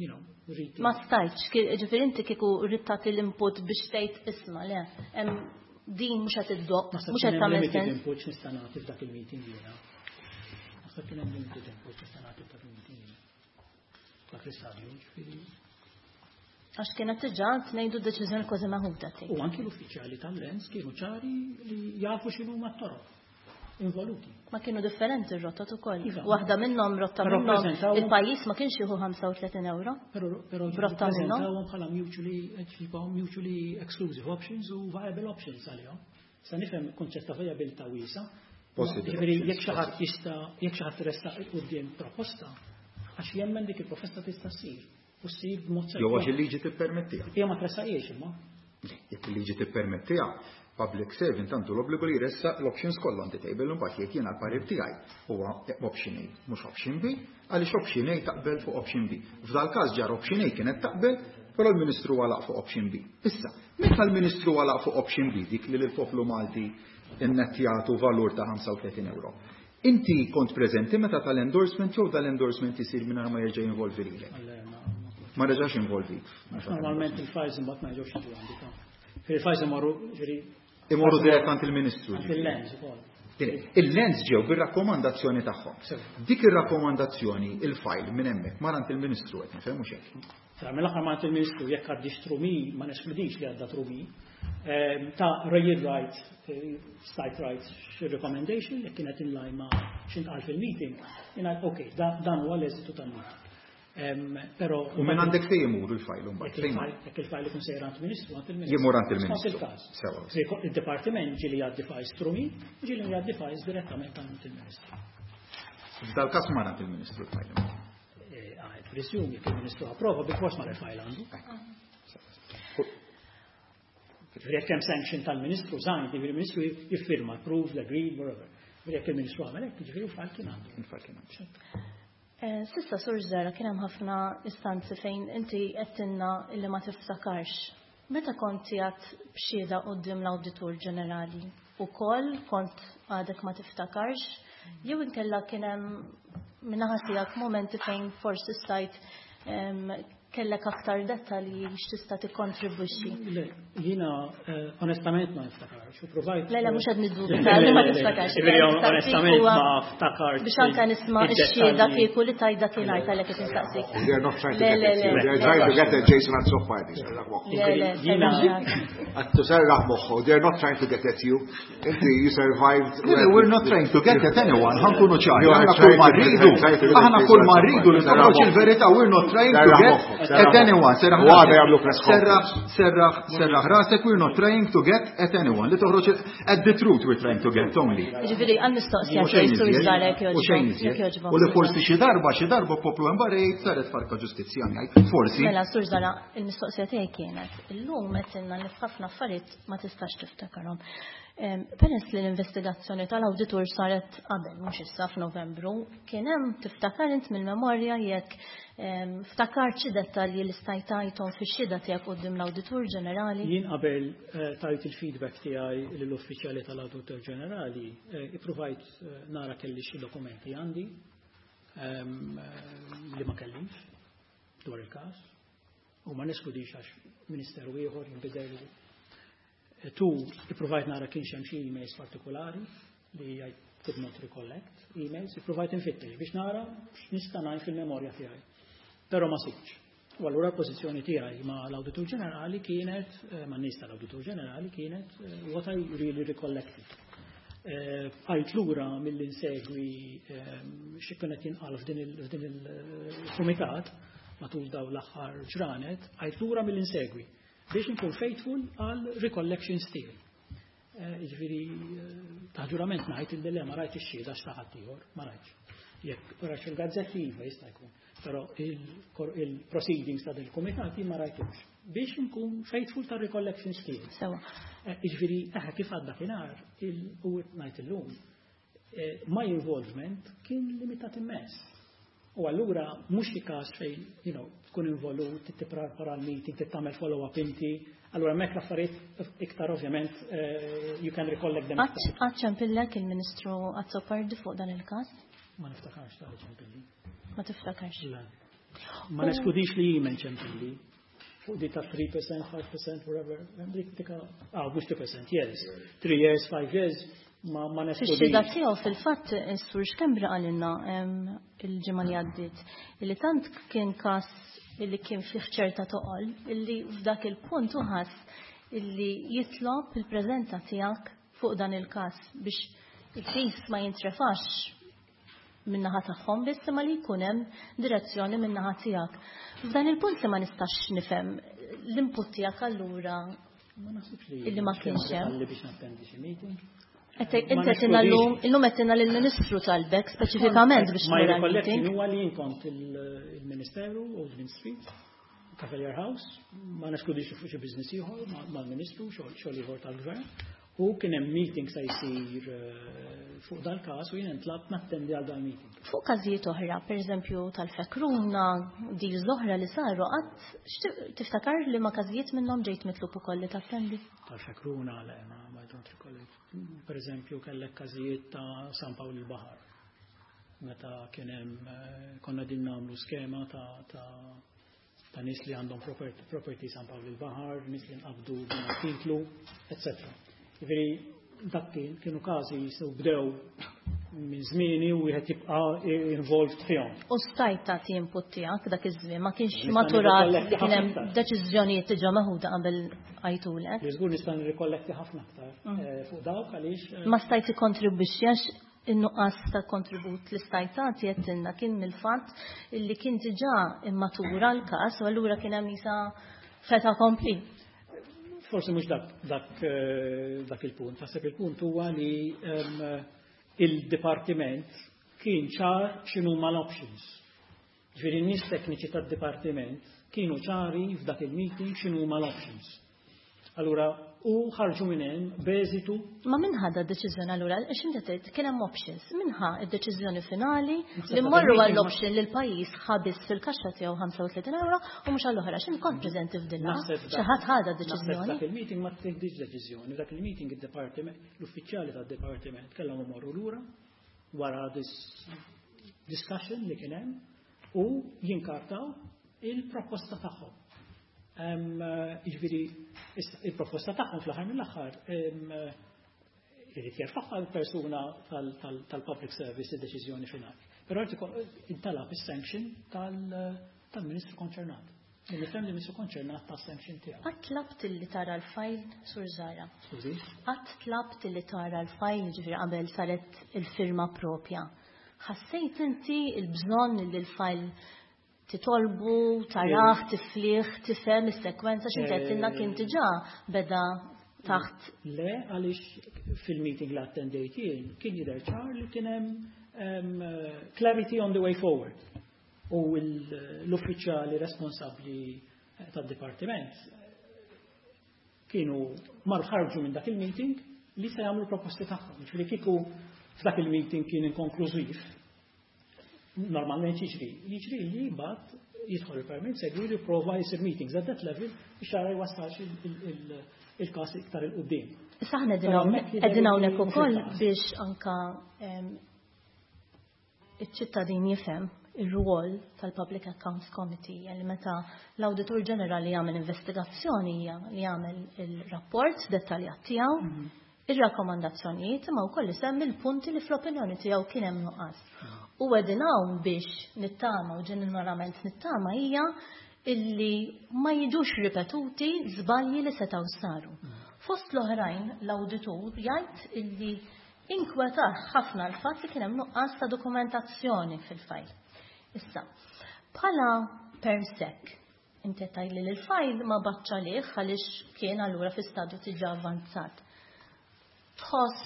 reach. Ma stajtx, ġifieri inti kieku ridt tagħti l-input biex tgħid isma' le, hemm din mhux qed iddoqq, Naħseb mhux qed kien hemm tagħmel limited sens. input nista' nagħti f'dak il-meeting jiena. Naħseb kien hemm limited input nista' nagħti f'dak il-meeting jiena. Dak l-istadju, ġifieri. Għax kienet diġà ngħidu deċiżjoni kważi meħuda tgħid. U anki l-uffiċjali tal-Lands kienu ċari li jafu x'inhu mat-toroq involuti. Ma kienu differenti r-rotot ukoll. Iva. Waħda minnhom rotta Però minnhom il-pajjiż ma kienx jieħu 35 euro. Però Rotta minnhom. prezentawhom bħala mutually exclusive options u viable options għalihom. Sa nifhem kunċett ta' viabilità wiesa'. Possible Ġifieri options, jekk xi ħadd jista' jekk xi ħadd ressaq quddiem proposta, għax jemmen dik il-proposta tista' ssir. U ssir b'mod Jew għax il-liġi tippermettiha. Hija ma tressaqiex imma. Jekk il-liġi tippermettiha, public servant għandu l-obbligu li jressaq l-options kollha on the table, u mbagħad jekk jiena l-parir tiegħi huwa option A mhux option B, għaliex option A taqbel fuq option B. F'dal każ ġar option A kienet taqbel, però l-Ministru għalaq fuq option B. Issa, meta l-Ministru għalaq fuq option B, dik li l-poplu Malti innettjatu valur ta' 35 euro. Inti kont preżenti meta tal-endorsement jew dal-endorsement isir mingħajr ma jerġa' jinvolvi lilek? Ma reġax involvik. Normalment il-files imbagħad ma jiġux jiġu għandi ta'. Il-files imorru, ġifieri Imorru dirett għand il-Ministru. Għand il-Lands ukoll. Il-Lands ġew bir-rakkomandazzjoni tagħhom. Dik ir-rakkomandazzjoni il-file minn hemmhekk mar għand il-Ministru, qed nifhem mhux hekk. Tra mill-aħħar ma għand il-Ministru, jekk għaddix through me, ma neskludix li għadda through me, ta' rail rights, site rights recommendation, jekk kienet in line ma' x'intqal fil-meeting, jingħad ok, dan huwa l-eżitu tal-meeting. Però U minn għandek fejn imur il-file mbagħad? Jekk Fejn il-file ikun sejjer għand il-Ministru, għand il-Ministru. Jimur għand il-Ministru. Skont il-każ. Sewa. Se il-Dipartiment ġieli jgħaddi files through me, ġieli jgħaddi files direttament għand il-Ministru. F'dal każ mar għand il-Ministru l-file. I presume jekk il-Ministru approva, bil-fors mar il-file għandu. Ġifieri jekk hemm sanction tal-Ministru, signed, ġifieri il-Ministru jiffirma, approved, agreed, whatever. Ġifieri jekk il-Ministru għamel hekk, ġifieri l-file kien għandu. Il-file kien għandu. S'issa Sur Zahra, kien hemm ħafna istanzi fejn inti għedtilna illi ma tiftakarx. Meta kont qiegħed b'xhieda quddiem l-Awditur Ġenerali, ukoll kont għadek ma tiftakarx, jew inkella kien hemm min-naħa tiegħek momenti fejn forsi stajt kellek aktar dettalji x'tista' tikkontribwixxi? Le, Jiena onestament ma niftakarx u provajt. Le, le, mhux qed niddubita li ma tiftakarx. Jiġifieri onestament ma ftakarx. Biex anke nisma' x-xhieda kieku li tajt dakinhar talhekk qed nistaqsik. They are not trying to get at you. They are trying to get at Jason Azzopardi. Le, le, Għattu serraħ moħħu, they are not trying to get at you. Inti, you survived. We're not trying to get at anyone, ħa nkunu ċari. Aħna kull ma rridu, aħna kull ma rridu li toħroġ il-verità, we're not trying to get at anyone. Serraħ serraħ, serraħ, serraħ rasek, we're not trying to get at anyone. Li toħroġ at the truth we're trying to get only. Ġifieri, għal mistoqsija sur Żarek. U xejn iżjed. U li forsi xi darba poplu hemm barra jgħid saret farka ġustizzja ngħid. Forsi. Mela, Sur Zahra, il-mistoqsija tiegħi kienet, illum qed li f'ħafna affarijiet ma tistax tiftakarhom. Peress li l-investigazzjoni tal-awditur saret qabel, mhux issa f'Novembru, kien hemm tiftakar int mill-memorja jekk ftakar xi dettalji li stajt tajthom fix-xhieda tiegħek quddiem l-Awditur Ġenerali? Jien qabel tajt il-feedback tiegħi lill-uffiċjali tal-Awditur Ġenerali, ippruvajt nara kelli xi dokumenti għandi li ma kellix dwar il-każ u ma neskludix għax ministeru ieħor jinbidel. Tu ippruvajt nara kienx hemm xi emails partikolari li I could not recollect emails, ippruvajt infittex biex nara x'nista' ngħid fil-memorja tiegħi. Però ma sibx. U allura l-pożizzjoni tiegħi ma l-Awditur Ġenerali kienet, ma' nies tal-Awditur Ġenerali kienet what I really recollected. Għajt lura mill insegwi xi kienet jinqal f'din il-kumitat matul daw l-aħħar ġranet, għajt lura mill insegwi biex nkun faithful għal recollections tiegħi. Jiġifieri ta' ġurament ngħid illi le, ma rajtx ix-xhieda x'ta' ieħor, ma rajtx. Jekk rajtx il-gazzetti, iva, jista' jkun. Però il-proceedings ta' del-kumitat ma rajtux. Biex nkun faithful ta' recollections tiegħi. Sewa. Jiġifieri kif għadda kienar u ngħid illum, my involvement kien limitat immens. U allura mhux xi każ fejn tkun involut, tipprepara l-meeting, tagħmel follow-up inti, allura hemmhekk l-affarijiet iktar ovvjament you can recollect them. Qatt ċempillek il-Ministru Azzopardi fuq dan il-każ? Ma niftakarx ta' ċempilli. Ma tiftakarx? Le. Ma neskludix li jien ċempilli. Fuq di ta' 3%, 5%, whatever. Dik tika, ah, mhux 2%, yes. 3 years, 5 years, ma neskludix. Fix-xhieda tiegħu fil-fatt is-Sur Schembri qalilna il-ġimgħa li għaddiet illi tant kien każ illi kien fih ċerta toqol illi f'dak il-punt uħass illi jitlob il-preżenza tiegħek fuq dan il-każ biex il-każ ma jintrefax min-naħa tagħhom biss imma li jkun hemm direzzjoni min-naħa tiegħek. F'dan il-punt li ma nistax nifhem l-input tiegħek allura Ma naħsibx li illi ma kienx hemm. Li biex nattendi xi meeting. Inti qed illum qed lill-Ministru talbek speċifikament biex Ma recollection huwa li kont il-Ministeru, Old Mint Street, Cavalier House, ma neskludix fuq xi business ieħor mal-Ministru, xogħol ieħor tal-Gvern. U kien hemm meeting se jsir fuq dal-każ u jien ntlabt nattendi għal dal-meeting. Fuq każijiet oħra, pereżempju tal-Fekruna, deals oħra li saru, qatt tiftakar li ma każijiet minnhom ġejt mitlub ukoll li tattendi? Tal-Fekruna, le, ma I don't recollect. Per eżempju, kellek każijiet ta' San Pawl il-Baħar. Meta kien hemm konna din nagħmlu skema ta' nies li għandhom property San Pawl il-Baħar, nies li nqabdu titlu, etc. Jiġifieri dak kienu każi jisu bdew minn żmieni u wieħed jibqa' involved fihom. U stajt tagħti input tiegħek dak iż-żmien, ma kienx maturat li kien hemm deċiżjonijiet diġà meħuda qabel għajtulek. Li żgur nista' nirrikolletti ħafna aktar fuq dawk għaliex. Ma stajt ikkontribwixxi għax in-nuqqas ta' kontribut li stajt tagħti qed kien mill-fatt li kien diġà immatura l-każ u allura kien hemm isa fait accompli. Forsi mhux dak il-punt. Naħseb il-punt huwa li il-dipartiment kien ċar x'inhu l-options. Ġifieri n-nies tekniċi tad-dipartiment kienu ċari f'dak il-meeting x'inhu l-options. Allura, u ħarġu minn hemm b'eżitu. Ma min ħadha d-deċiżjoni allura, għax inti tgħid kien hemm options, min ħa d-deċiżjoni finali li mmorru għall-option li l-pajjiż ħabis fil-kaxxa tiegħu 35 euro u mhux għall-oħra, x'int kont preżenti f'din Xi ħadd ħadha d-deċiżjoni? Dak il-meeting ma tieħdix deċiżjoni, dak il-meeting id-departiment, l-uffiċjali tad-departiment kellhom imorru lura wara this discussion li kien hemm u jinkartaw il-proposta tagħhom. Jiġifieri Issa, il-proposta tagħhom fl-aħħar mill-aħħar irid jerfagħha l-persuna tal-public service id-deċiżjoni finali. Però intalab is-sanction tal-Ministru konċernat. Nifhem li ministru konċernat ta' sanction tiegħu. Qatt tlabt li tara l-file, Sur Zahra? Skużi? Qatt tlabt li tara l-file, ġifieri qabel saret il-firma propja? Ħassejt inti il-bżonn li l-file titolbu, tarah, tiflih, tifhem is-sekwenza x'inti għedtilna kien diġà beda taħt? Le, għaliex fil-meeting li attendejt jien kien jidher ċar li kien hemm clarity on the way forward. U l-uffiċjali responsabbli tad-dipartiment kienu marru ħarġu minn dak il-meeting li se jagħmlu proposti tagħhom. Ġifieri kieku f'dak il-meeting kien inkonklużiv, normalment jiġri. Jiġri li mbagħad jidħol il-permanent secretary li jipprova jsir meetings at that level biex jara jwassalx il-każ iktar 'il quddiem. Issa aħna qegħdin hawnhekk ukoll biex anka iċ-ċittadin jifhem ir-rwol tal-Public Accounts Committee, li meta l-Awditur Ġenerali jagħmel investigazzjoni hija li jagħmel il-rapport dettaljat tiegħu, ir-rakkomandazzjonijiet, imma wkoll isemmi l-punti li fl-opinjoni tiegħu kien hemm nuqqas. U qegħdin hawn biex nittama u ġeneralment nittama hija illi ma jiġux ripetuti żbalji li setgħu saru. Fost l-oħrajn l-awditur jgħid illi inkwetah ħafna l-fatt li kien hemm nuqqas ta' dokumentazzjoni fil-fajl. Issa, bħala permsec, inti tgħid li l-fajl ma baċċa lih għaliex kien allura fi stadju diġà avvanzat. Tħoss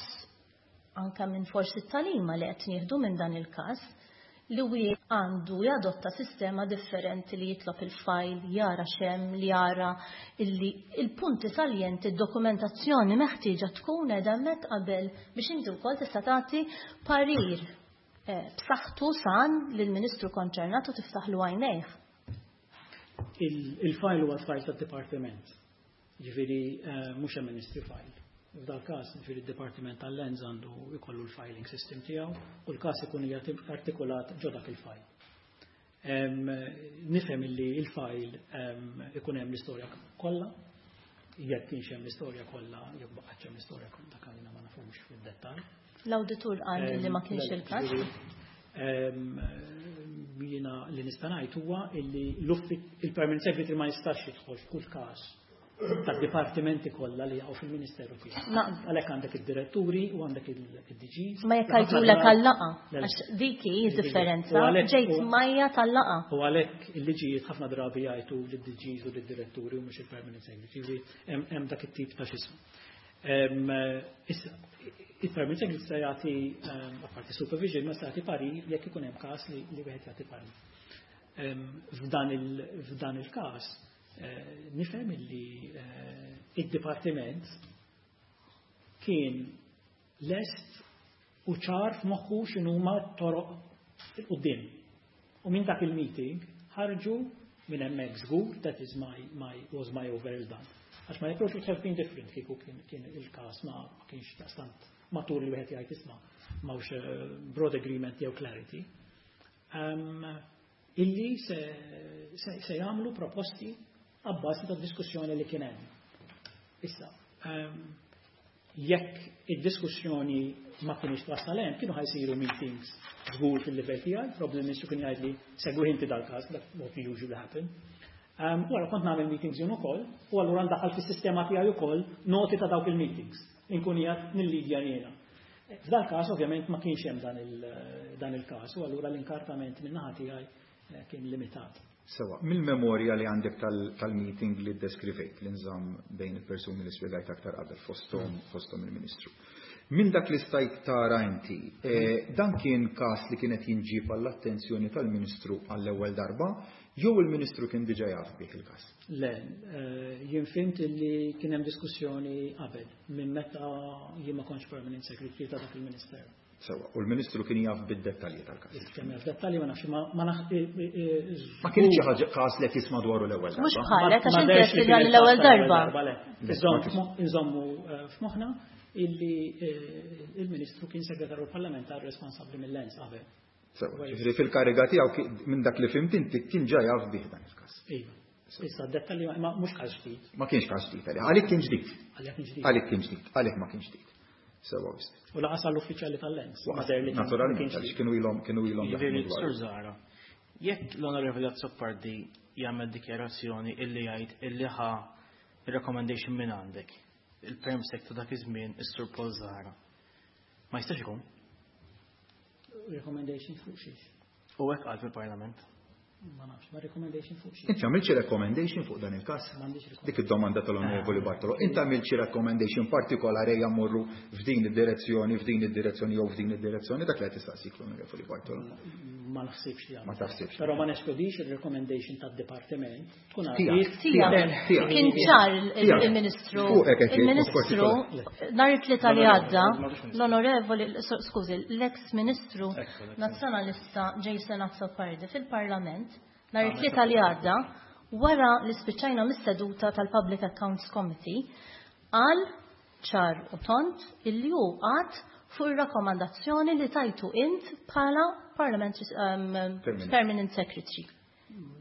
anka minn forsi t-talima li qed nieħdu minn dan il-każ li wieħed għandu jadotta sistema differenti li jitlob il-fajl, jara xem, li jara illi il-punti saljenti, id-dokumentazzjoni meħtieġa tkun qiegħda hemmhekk qabel biex inti wkoll tista' tagħti parir b'saħħtu san lill-Ministru konċernat u tiftaħlu għajnejh. Il-fajl huwa l-fajl tad-dipartiment. Ġifieri mhux hemm ministry file. F'dal każ, ġifieri d-Dipartiment tal-Lands għandu jkollu l-filing system tiegħu u l-każ ikun artikulat ġo dak il-file. Nifhem illi il-file ikun hemm l-istorja kollha, jekk kienx hemm l-istorja kollha, jekk baqgħetx hemm l-istorja kollha, dak għalina ma nafux fid-dettall. L-awditur qal li ma kienx il-każ. Jiena li nista' ngħid huwa illi il-permanent secretary ma jistax jidħol f'kull każ tad-dipartimenti kollha li jaqgħu fil-Ministeru tiegħu. Għalhekk għandek id-diretturi u għandek id-DGs. Ma jekk għajdulek għal-laqa, għax dik hi differenza, ġejt majja tal-laqa. U għalhekk il-liġijiet ħafna drabi jgħidu lid-DGs u lid-diretturi u mhux il-permanent secretary. Hemm dak it-tip ta' x'ismu. Issa, il-permanent secretary se jagħti apparti supervision, ma se jagħti parir jekk ikun hemm każ li wieħed jagħti parir. F'dan il-każ nifhem illi id-dipartiment kien lest u ċar f'moħħu x'inhuma toroq il-quddiem. U minn dak il-meeting ħarġu minn hemmhekk żgur, that is my, my, was my overall done. Għax my approach would have been different kieku kien il-każ ma kienx daqstant matur li wieħed jgħid isma' m'hawnx broad agreement jew clarity. Illi se jagħmlu proposti abbażi ta' diskussjoni li kien hemm. Issa, jekk id-diskussjoni ma kienx twassal hemm, kienu ħa jsiru meetings żgur fil-livell tiegħi, probably il-Ministru kien jgħid li segwi inti dal-każ, that what usually happen. Wara kont nagħmel meetings jien ukoll, u allura ndaħħal fis-sistema tiegħi ukoll noti ta' dawk il-meetings, inkun qiegħed nillidja jiena. F'dal każ ovvjament ma kienx hemm dan il-każ, u allura l-inkartament min-naħa tiegħi kien limitat. Sewa, mill-memorja li għandek tal-meeting li ddeskrivejt li nżamm bejn il-persuni li spjegajt aktar qabel fosthom il-Ministru. Minn dak li stajt tara inti, dan kien każ li kienet jinġib għall-attenzjoni tal-Ministru għall-ewwel darba, jew il-Ministru kien diġà jaf bih il-każ? Le, jien fhimt li kien hemm diskussjoni qabel minn meta jien ma kontx permanent secretary ta' dak il-Ministeru. Sewa, u l-Ministru kien jaf bid-dettalji tal-każ. Kemm jaf dettalji ma nafx, ma naf, Ma kienx xi ħaġa każ li qed jisma' dwaru l-ewwel darba. Mhux bħalek, għax Ma inti derx qed li tgħid kien l-ewwel il-każ darba. tal-ewwel darba, le. Inżommu f'moħħna illi il-Ministru kien segretarju parlamentari responsabbli mill-Lands qabel. Sewa, ġifieri fil-kariga tiegħu minn dak li fhimt inti kien ġa jaf bih dan il-każ. Iva. Issa d-dettalji ma mhux każ ġdid. Ma kienx każ ġdid għalih, għalik kien ġdid. Għalih kien ġdid. Għalik kien ġdid, għalih ma kienx ġdid. Sewa wisq. U laqas għall-uffiċjali tal-Lands. Naturalment, għaliex kienu ilhom Jiġifieri, Sur Zahra, jekk l-Onorevoli Azzopardi jagħmel dikjarazzjoni illi jgħid illi ħa recommendation minn għandek, il-perm sec ta' dak iż-żmien is-Sur Paul Zahra. Ma jistax ikun? Recommendation fuq xiex. U hekk qal fil-Parlament. Ma nafx, ma recommendation fuq xiex. Inti għamilt xi recommendation fuq dan il-każ? M'għandix recommendation. Dik id-domanda tal-Onorevoli Bartolo. Inti għamilt xi recommendation partikolari jmorru f'din id-direzzjoni, f'din id-direzzjoni jew f'din id-direzzjoni, dak li qed tistaqsik l-Onorevoli Bartolo. Ma naħsibx li Ma taħsibx. Però ma neskludix il-recommendation tad-dipartiment tkun Tiegħek. għaddiet. Tiegħek. Kien ċar Tiegħek. il-Ministru, Fuqek qed jgħid, il-Ministru, nhar it-Tlieta li għadda, l-Onorevoli, skużi, l-ex-Ministru Nazzjonalista Jason Azzopardi fil-Parlament, nhar it-Tlieta li għadda, wara li spiċċajna mis-seduta tal-Public Accounts Committee, qal ċar u tont illi hu qagħad fuq ir-rakkomandazzjoni li tajtu int bħala Parliamentary Permanent. Permanent Secretary.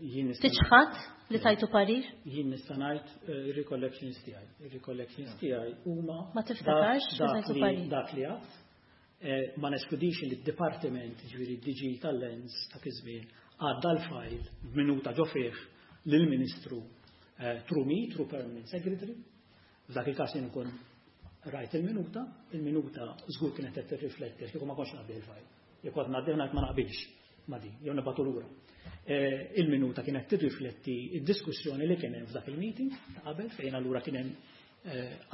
Jien nista' Tiċħad li tajtu parir? Jien nista' ngħid ir-recollections tiegħi. Ir-recollections tiegħi huma Ma tiftakarx dak li tajtu li parir? dak li għedt. Ma neskludix li d-dipartiment, ġifieri DG tal-Lands ta' iż-żmien, għadda l-file b'minuta ġo fih lill-Ministru through me, through Permanent Secretary. F'dak il-każ jien ikun rajt il-minuta, il-minuta żgur kienet qed tirrifletti għax kieku ma kontx ngħaddi il-file. Jekk kont ngħaddi ngħid ma naqbilx ma din, jew nibgħatu lura. Il-minuta kienet tirrifletti id-diskussjoni li kien hemm f'dak il-meeting ta' qabel fejn allura kien hemm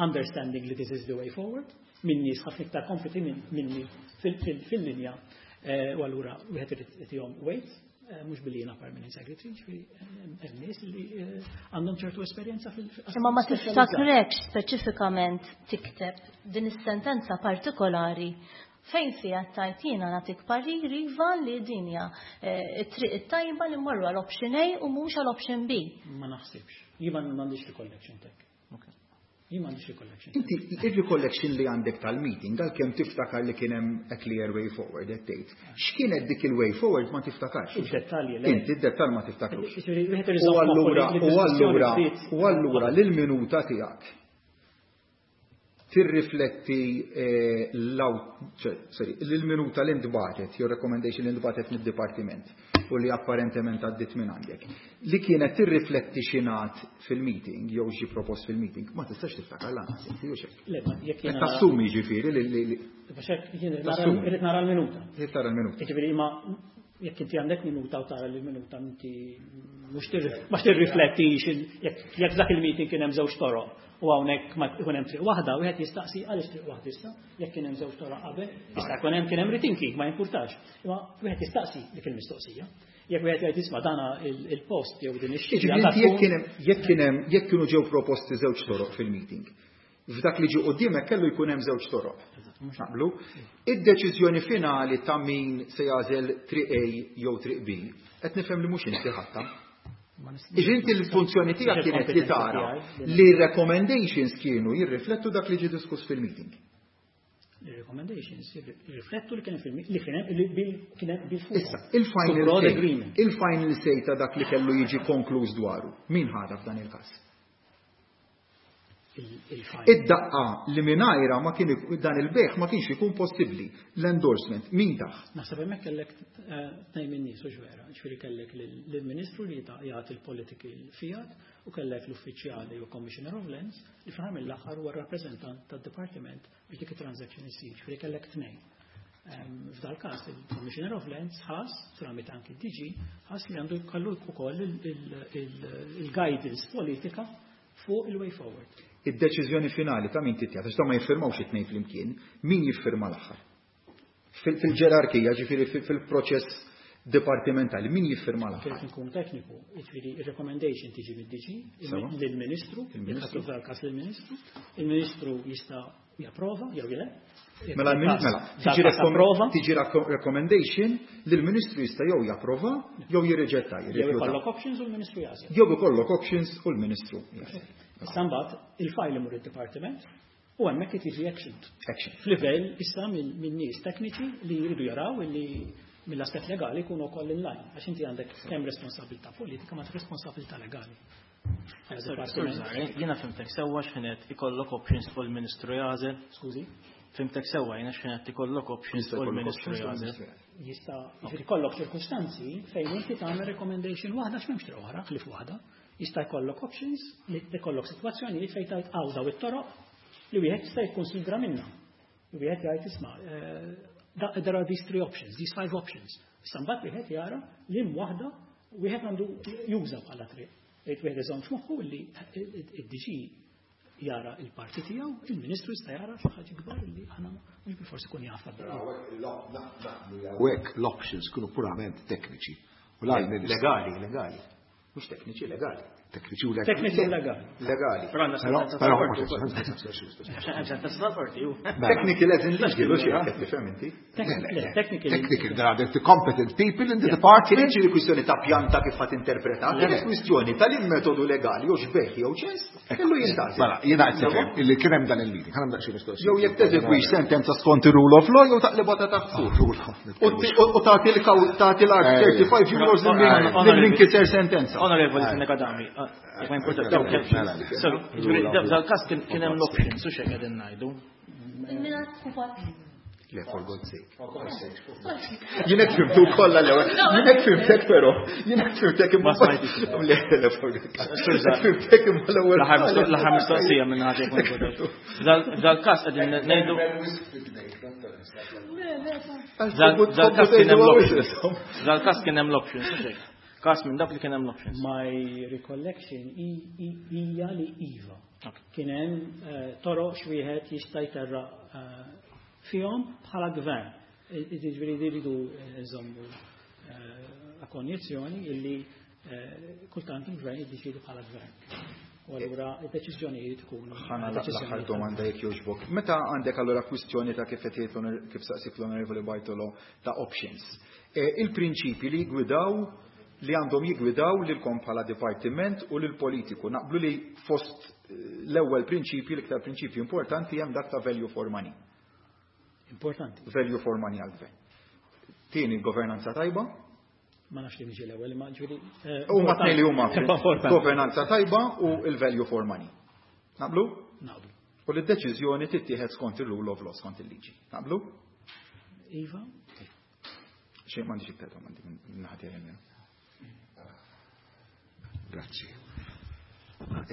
understanding li this is the way forward minn nies ħafna iktar kompetenti minni fil-linja u allura wieħed irid itihom weight, mhux billi jiena permanent secretary, ġifieri hemm nies li għandhom ċertu esperjenza fil Imma ma tiftakrekx speċifikament tikteb din is-sentenza partikolari fejn fiha tajt jiena nagħtik parir iva li din hija it-triq it-tajba li mmorru għal option A u mhux għal option B. Ma naħsibx. Jien m'għandix recollection tek. Jien m'għandix recollection. Inti il-recollection li għandek tal-meeting, għalkemm tiftakar li kien hemm a clear way forward, qed tgħid. X'kienet dik il-way forward ma tiftakarx. Id-dettalji le. Inti id-dettall ma tiftakrux. Ġifieri, wieħed irid U iżomm allura, moħħu li u allura, d-diskussjoni bdiet- u allura l-minuta tiegħek tirrifletti sorry, l-minuta li ntbagħtet, jew recommendation li ntbagħtet mid-dipartiment u li apparentement għaddit minn għandek, li kienet tirrifletti x'ingħad fil-meeting jew xi propost fil-meeting, ma tistax tiftakar lanqas inti jew xek. Le, ma jekk Qed jiena tassumi ġifieri li Biex hekk jien irid Tassumi. irrid nara l-minuta. Trid tara l-minuta. Jiġifieri ma jekk inti għandek minuta u tara li minuta inti mhux ma tirriflettix jekk dak il-meeting kien hemm żewġ toroq u hawnhekk ma jkun hemm triq waħda, wieħed jistaqsi għaliex triq waħda issa, jekk kien hemm żewġ toroq qabel, jista' jkun hemm kien hemm rethinking, ma jimpurtax. Imma wieħed jistaqsi dik il-mistoqsija. Jekk wieħed jgħid isma' dana il-post jew din ix-xirja Jiġifieri għandha inti jekk tkun- kien hemm jekk kienu ġew proposti żewġ toroq fil-meeting. F'dak li ġie quddiemek kellu jkun hemm żewġ toroq. Naqblu? Id-deċiżjoni finali ta' min se jagħżel triq A jew triq B, qed nifhem li mhux inti ħadtha. Iġi inti l-funzjoni tiegħek kienet li tara li recommendations kienu jirriflettu dak li ġie diskuss fil-meeting. Il-recommendations jirriflettu li kien hemm li kien hemm li kien hemm bil fuq. Issa, il-final Broad say, agreement. il-final say ta' dak li kellu jiġi konkluż dwaru, min ħadha f'dan il-każ? Il-final. Id-daqqa li mingħajra ma kien dan il-bejgħ ma kienx ikun possibbli. L-endorsement, min tah? Naħseb hemmhekk kellek tnejn minn nies u vera, ġifieri kellek lill-Ministru li jagħti il-political fiat u kellek l-uffiċjali u Commissioner of Lands li fl-aħħar mill-aħħar huwa rappreżentant tad-Dipartiment biex dik it-transaction issir, ġifieri kellek tnejn. F'dal każ il-Commissioner of Lands ħass, tramite anki d-DG, ħass li għandu jkollu wkoll il-guidance politika fuq il-way forward. Id-deċiżjoni finali ta' min titjat, għax ta' ma jiffirmawx it-tnejn flimkien, min jiffirma l-aħħar? Fil-ġerarkija, ġifieri fil-proċess dipartimentali, min jiffirma Kif l-aħħar? nkun tekniku, jiġifieri il-recommendation tiġi mid-DG, lill-Ministru, Il-Ministru. jekk f'dal każ lill-Ministru, il-Ministru jista' japprova jew le. Jekk Mela, mela, dal tiġi każ approva, tiġi recommendation li l-Ministru jista' jew japprova jew jirriġetta, jew jirrifjuta. ikollok options u l-Ministru jagħżel. Jew ikollok options u l-Ministru jagħżel. Issa mbagħad il-file imur id-dipartiment u hemmhekk tiġi action. Action. F'livell issa minn nies tekniċi li jridu jaraw illi Mill-aspett legali jkunu wkoll in line, għax inti għandek kemm responsabilità politika ma responsabilità legali. Jiena fhimtek sewwa x'ħinet ikollok options fuq il-Ministru jagħżel. Skużi? Fhimtek sewwa jiena x'ħinet ikollok options fuq il-Ministru jagħżel. Jista' jiġifieri jkollok ċirkustanzi fejn inti tagħmel recommendation waħda x'm'hemmx triq oħra ħlief waħda. Jista' jkollok options li jkollok sitwazzjonijiet fejn tgħid hawn daw it-toroq li wieħed jista' jikkonsidra minnha. Wieħed jgħid isma' there are these three options, these five options. Issa mbagħad wieħed jara li waħda wieħed għandu juża bħala triq. Jgħid wieħed iżomm f'moħħu li id-DG jara il-parti tiegħu, il-Ministru jista' jara xi ħaġa kbar li aħna mhux bilfors ikun jaf. U hekk l-options kienu purament tekniċi. U la Legali, legali. Mhux tekniċi, legali. Tekniċi u legali. Tekniċi u legali. Legali. Però għandna Però, sentenza però, tal-qorti. Sentenza tal-qorti, ju. Technical as in legal, u xi qed tifhem inti. Technical. Technical, there are the competent people in the department. Kienx li kwistjoni ta' pjanta kif ħadd interpreta, kienet kwistjoni tal-metodu legali jew xbeħ jew ċens, kellu jintgħażel. Mela, jiena qed nifhem illi kien hemm dan il-meeting, ħa nagħmel xi mistoqsija. Jew jekk teżegwix sentenza skont ir-rule of law jew taqlibha ta' taħt fuq. U tagħti l-tagħti l-art 35 euros lil min kiser sentenza. Onorevoli Fenech Adami, jekk ma importa. Mela, Ġifieri dal-każ kien hemm l-options u xejn qegħdin ngħidu. Il-minat Le, for God's sake. Jien hekk fhimtu kollha l-ewwel. Jien hekk fhimtek però. Jien hekk fhimtek imma. Ma smajtix. Le, le, for God's sake. Fhimtek imma l-ewwel. L-aħħar mistoqsija minn ħaġa jkun importa. Dal-każ qegħdin ngħidu Dal-każ kien hemm l-options. Dal-każ kien hemm l-options, u xejn. Każ minn dak li kien hemm l-options. My recollection hija li iva. Kien hemm toroq x'wieħed jista' jterraq fihom bħala gvern. Jiġifieri jridu nżommu konjizzjoni illi kultant il-gvern jiddeċiedi bħala gvern. U allura id-deċiżjonijiet ikunu Ħana l-aħħar deċiżjonijiet domanda jekk jogħġbok. Meta għandek allura kwistjoni ta' kif qed jgħid kif saqsik l-Onorevoli Bartolo ta' options. Il-prinċipi li jgwidaw li għandhom jigwidaw lilkom bħala dipartiment u lil politiku. Naqblu li fost l-ewwel prinċipji, l-iktar prinċipji importanti hemm dak ta' value for money. Importanti. Value for money għal-gvern. Tieni governanza tajba. Ma nafx li miġi l-ewwel, ma ġifieri, Huma tnejn li huma importanti. governanza tajba u il-value for money. Naqblu? Naqblu. U li d-deċiżjoni tittieħed skont il-rule of law, skont il-liġi. Naqblu? Iva. Xejn m'għandix iktar domandi minn naħa tiegħi jiena. Grazzi.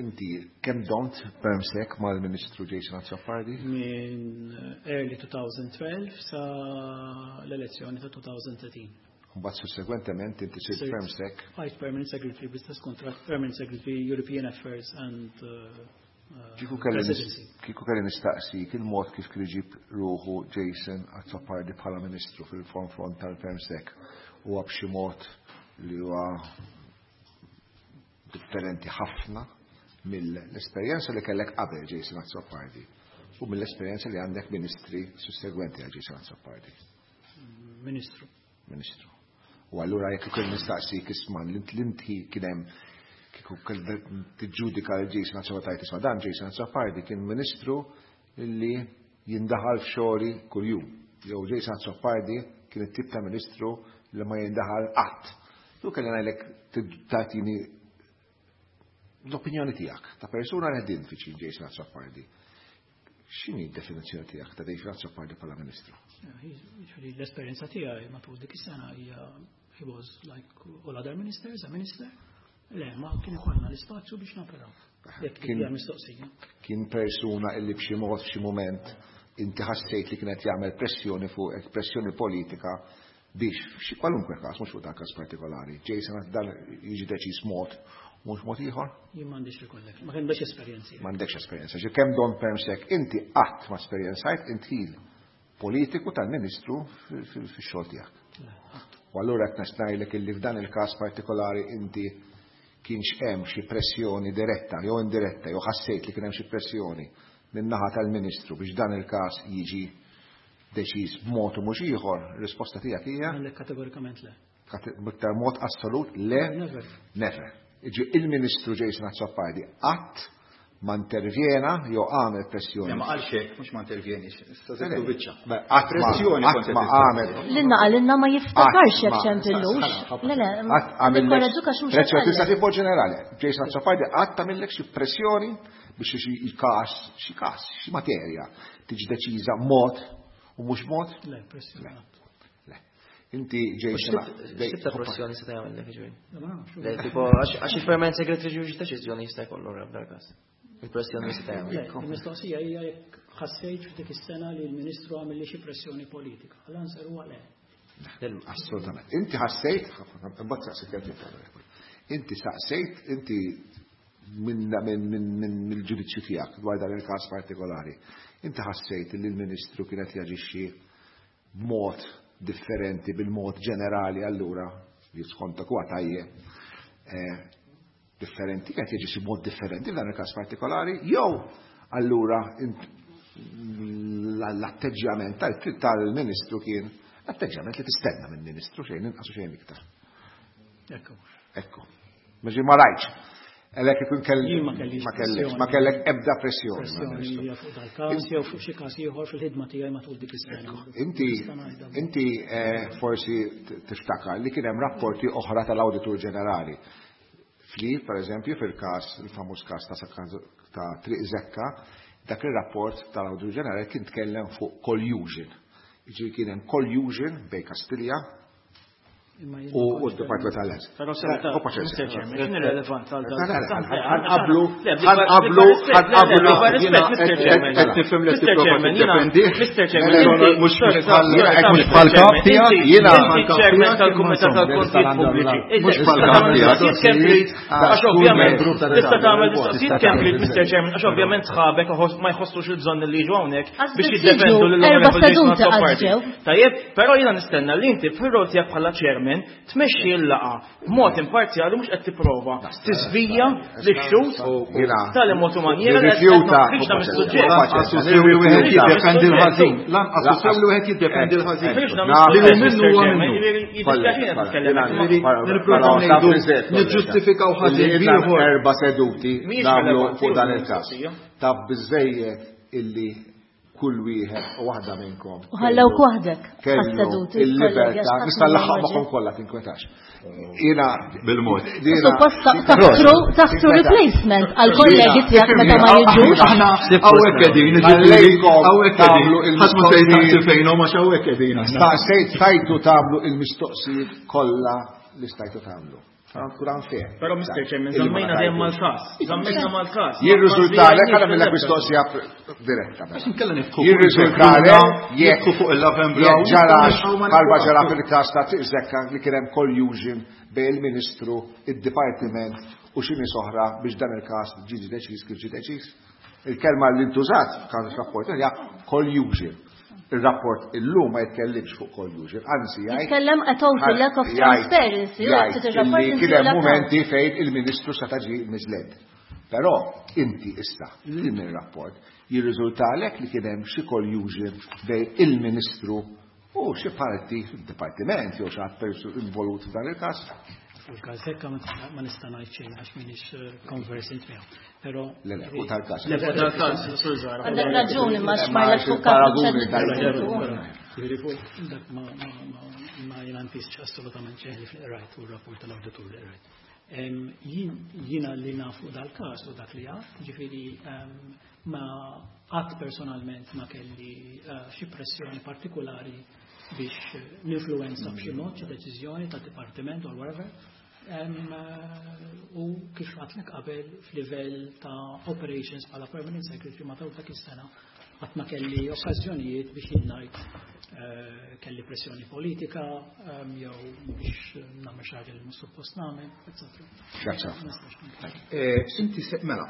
Inti kemm domt permsec mal-Ministru Jason Azzopardi? Minn early 2012 sa l-elezzjoni ta' 2013. Mbagħad sussegwentement inti sirt Sirt permsec. Vice Permanent Secretary Business Contract, Permanent Secretary European Affairs and Presidency. Kieku kelli nistaqsi il-mod kif kien iġib ruħu Jason Azzopardi bħala Ministru fil-front tal-Permsec huwa b'xi mod li huwa differenti ħafna mill-esperjenza li kellek qabel Jason Azzopardi u mill-esperjenza li għandek ministri sussegwenti għal Jason Azzopardi. Ministru. Ministru. U allura jekk ukoll nistaqsik isma' l-inti kien hemm kieku tiġġudika l Jason Azzopardi isma' dan Jason Azzopardi kien ministru li jindaħal f'xogħli kuljum. Jew Jason Azzopardi kien it-tip ta' ministru li ma jindaħal qatt. Tu kelli ngħidlek tagħtini l-opinjoni tiegħek ta' persuna li ħdimt viċin Jason Azzopardi. X'inhi d-definizzjoni tiegħek ta' Jason Azzopardi bħala ministru? Jiġifieri l-esperjenza tiegħi matul dik is-sena hija he was like all other ministers, a minister. Le, ma kien ikollna l-ispazju biex naperaw. Jekk hija mistoqsija. Kien persuna illi b'xi mod f'xi mument inti ħassejt li kienet jagħmel pressjoni fuq pressjoni politika biex f'xi kwalunkwe każ, mhux fuq dan każ partikolari. Jason dan jiġi deċiż mod mhux mod ieħor? Jien m'għandix recollection, ma kellix esperjenzi. M'għandekx esperjenza. Ġi kemm don permsec inti qatt ma esperjenzajt intil politiku tal-Ministru fix-xogħol tiegħek. Le, qatt. U allura qed ngħidlek illi f'dan il-każ partikolari inti kienx hemm xi pressjoni diretta jew indiretta jew ħassejt li kien hemm xi pressjoni min-naħa tal-Ministru biex dan il-każ jiġi deċiż b'mod u mhux ieħor, risposta tiegħek hija? Le, kategorikament le. B'iktar mod assolut le? Never. Never. Iġi il-Ministru Jason Azzopardi qatt ma intervjena jew għamel pressjoni. Ma qalx hekk, mhux ma intervjenix, issa żidtu biċċa. Pressjoni kont ma għamel. Lilna qalilna ma jiftakarx jekk ċempillux. Le le, nikkoraġġuk għax mhux. Pressjoni tista' tibgħod ġenerali. Jason Azzopardi qatt tagħmillek xi pressjoni biex xi każ, xi każ, xi materja tiġi deċiża mod u mhux mod? Le, pressjoni. Le. Inti Jason. X'tip ta' pressjoni se jagħmel ġifieri? Le, tipo għax il-permanent secretary ġifieri deċiżjoni jista' jkollu f'dal każ. Il-pressjoni se jagħmel. Il-mistoqsija hija jekk ħassejt f'dik is-sena li l-Ministru għamel li xi pressjoni politika. L-answer huwa le. Assolutament. Inti ħassejt, imbagħad saqsejt Inti saqsejt, inti minn ġudizzju tiegħek dwar dan il-każ partikolari. Inti ħassejt li l-Ministru kienet jaġixxi b'mod differenti bil-mod ġenerali allura li skontak huwa tajjeb differenti, qed jaġixxi b'mod differenti f'dan il-każ partikolari, jew allura l-atteġġjament tal-Ministru kien l-atteġġjament li tistenna minn Ministru xejn inqas u xejn iktar. Ekku. Ekku. Maġi ma rajtx. Elek ikun kelli. Jien ma kellix Ma kellek, ma kellek ebda pressjoni. Pressjoni hija fuq dal-każ jew fuq xi każ ieħor fil-ħidma tiegħi matul dik is-sena. Inti inti forsi tiftakar li kien hemm rapporti oħra tal-Awditur Ġenerali. Fli, per eżempju, fil-każ, il-famuż każ ta' Triq Zekka, dak ir-rapport tal-Awditur Ġenerali kien tkellem fuq collusion. Jiġifieri kien hemm collusion bejn Kastilja u d-Department tal-Lands. Però Mr. Chairman, x'inhi relevanza għal dan? Ħanqablu, ħanqablu, ħanqablu. Mr. Chairman, qed nifhem li tipprova tiddefendi. Mr. Chairman, mhux mhux bħall-kap tiegħek, jiena Chairman tal-Kumitat tal-Kontijiet Pubbliċi. Mhux bħall-kap tiegħek. Għax ovvjament tista' tagħmel mistoqsijiet complete, Mr. Chairman, għax ovvjament sħabek ma jħossux il-bżonn li jiġu hawnhekk biex jiddefendu lil Erba' seduti għadġew. Tajjeb, però jiena nistenna li inti fir-rol tiegħek bħala chairman tmexxi l-laqgħa b'mod imparzjali mhux qed tipprova tiżvija lix-xhud tal mod u manjiera li qed toħriġna mis-suġġett. Lanqas hu sew li wieħed jiddefendi l-ħażin. Lanqas hu sew li wieħed jiddefendi l-ħażin. Li hu minnu huwa minnu. Nipprova ngħidu niġġustifikaw ħażin b'ieħor. Erba' seduti nagħmlu fuq dan il-każ. Ta' biżejjed illi kull wieħed u waħda minnkom. U ħallewk waħdek Kellu għas-seduti, il-libertà, kollegi, nista' nlaħħaq magħhom kollha tinkwetax. Jiena bil-mod. Suppost taħtru replacement għal kollegi tiegħek meta ma jiġux. Aħna hawnhekk qegħdin, ġifieri, hawnhekk qegħdin. Ħadd ma se jistaqsi fejnhom għax hawnhekk qegħdin aħna. Staqsejt stajtu tagħmlu il-mistoqsijiet kollha li stajtu tagħmlu. Kun unfair. Però Mr. Chairman, żammejna dejjem mal-każ. Żammejna mal-każ. Jirriżultalek għala mill-ek mistoqsija diretta. Għax inkella nifku. Jirriżultalek jekk fuq il-Love and Brown. Jekk ġarax bħalma ġara fil-każ ta' Triq Zekka li kien hemm collusion bejn il-Ministru, id-Dipartiment u xi nies oħra biex dan il-każ ġie deċiż kif ġie deċiż. Il-kelma li ntużat f'każ rapport hija collusion. Il-rapport illum ma jitkellimx fuq collusion, anzi jgħid. Jitkellem a total lack of transparency, u Jgħid jgħid ir-rapport li inti kien hemm lack of. momenti fejn il-Ministru seta' ġie misled. Però inti issa din ir-rapport jirriżultalek li kien hemm xi collusion bejn il-Ministru u xi parti fid-dipartiment jew xi ħadd involut f'dan il-każ. Fuq il-każ hekk ma nista' ngħid xejn għax m'iniex conversant miegħu. Però Le, le, u tal-każ. Le, fuq tal-każ, Sur Zahra. Għandek raġuni ma Ma xmajlek fuq każ il-paraguni mhux qed tal- niddiskutu. Jiġifieri fuq dak ma jiena nfisx assolutament xejn li fil-qrajt u r-rapport tal-awditur li qrajt. Jiena li nafu dal-każ u dak li għad, ġifieri ma qatt personalment ma kelli xi pressjoni partikolari biex ninfluwenza b'xi mod xi deċiżjoni tad-dipartiment or whatever. U kif għatlek qabel f'livell ta' operations bħala permanent secretary matul dak is-sena qatt ma kelli okkażjonijiet biex jien ngħid kelli pressjoni politika jew biex nagħmel xi ħaġa li mhux suppost nagħmel, eccetera. Grazzi. Ma nistax ngħid. Inti se, mela,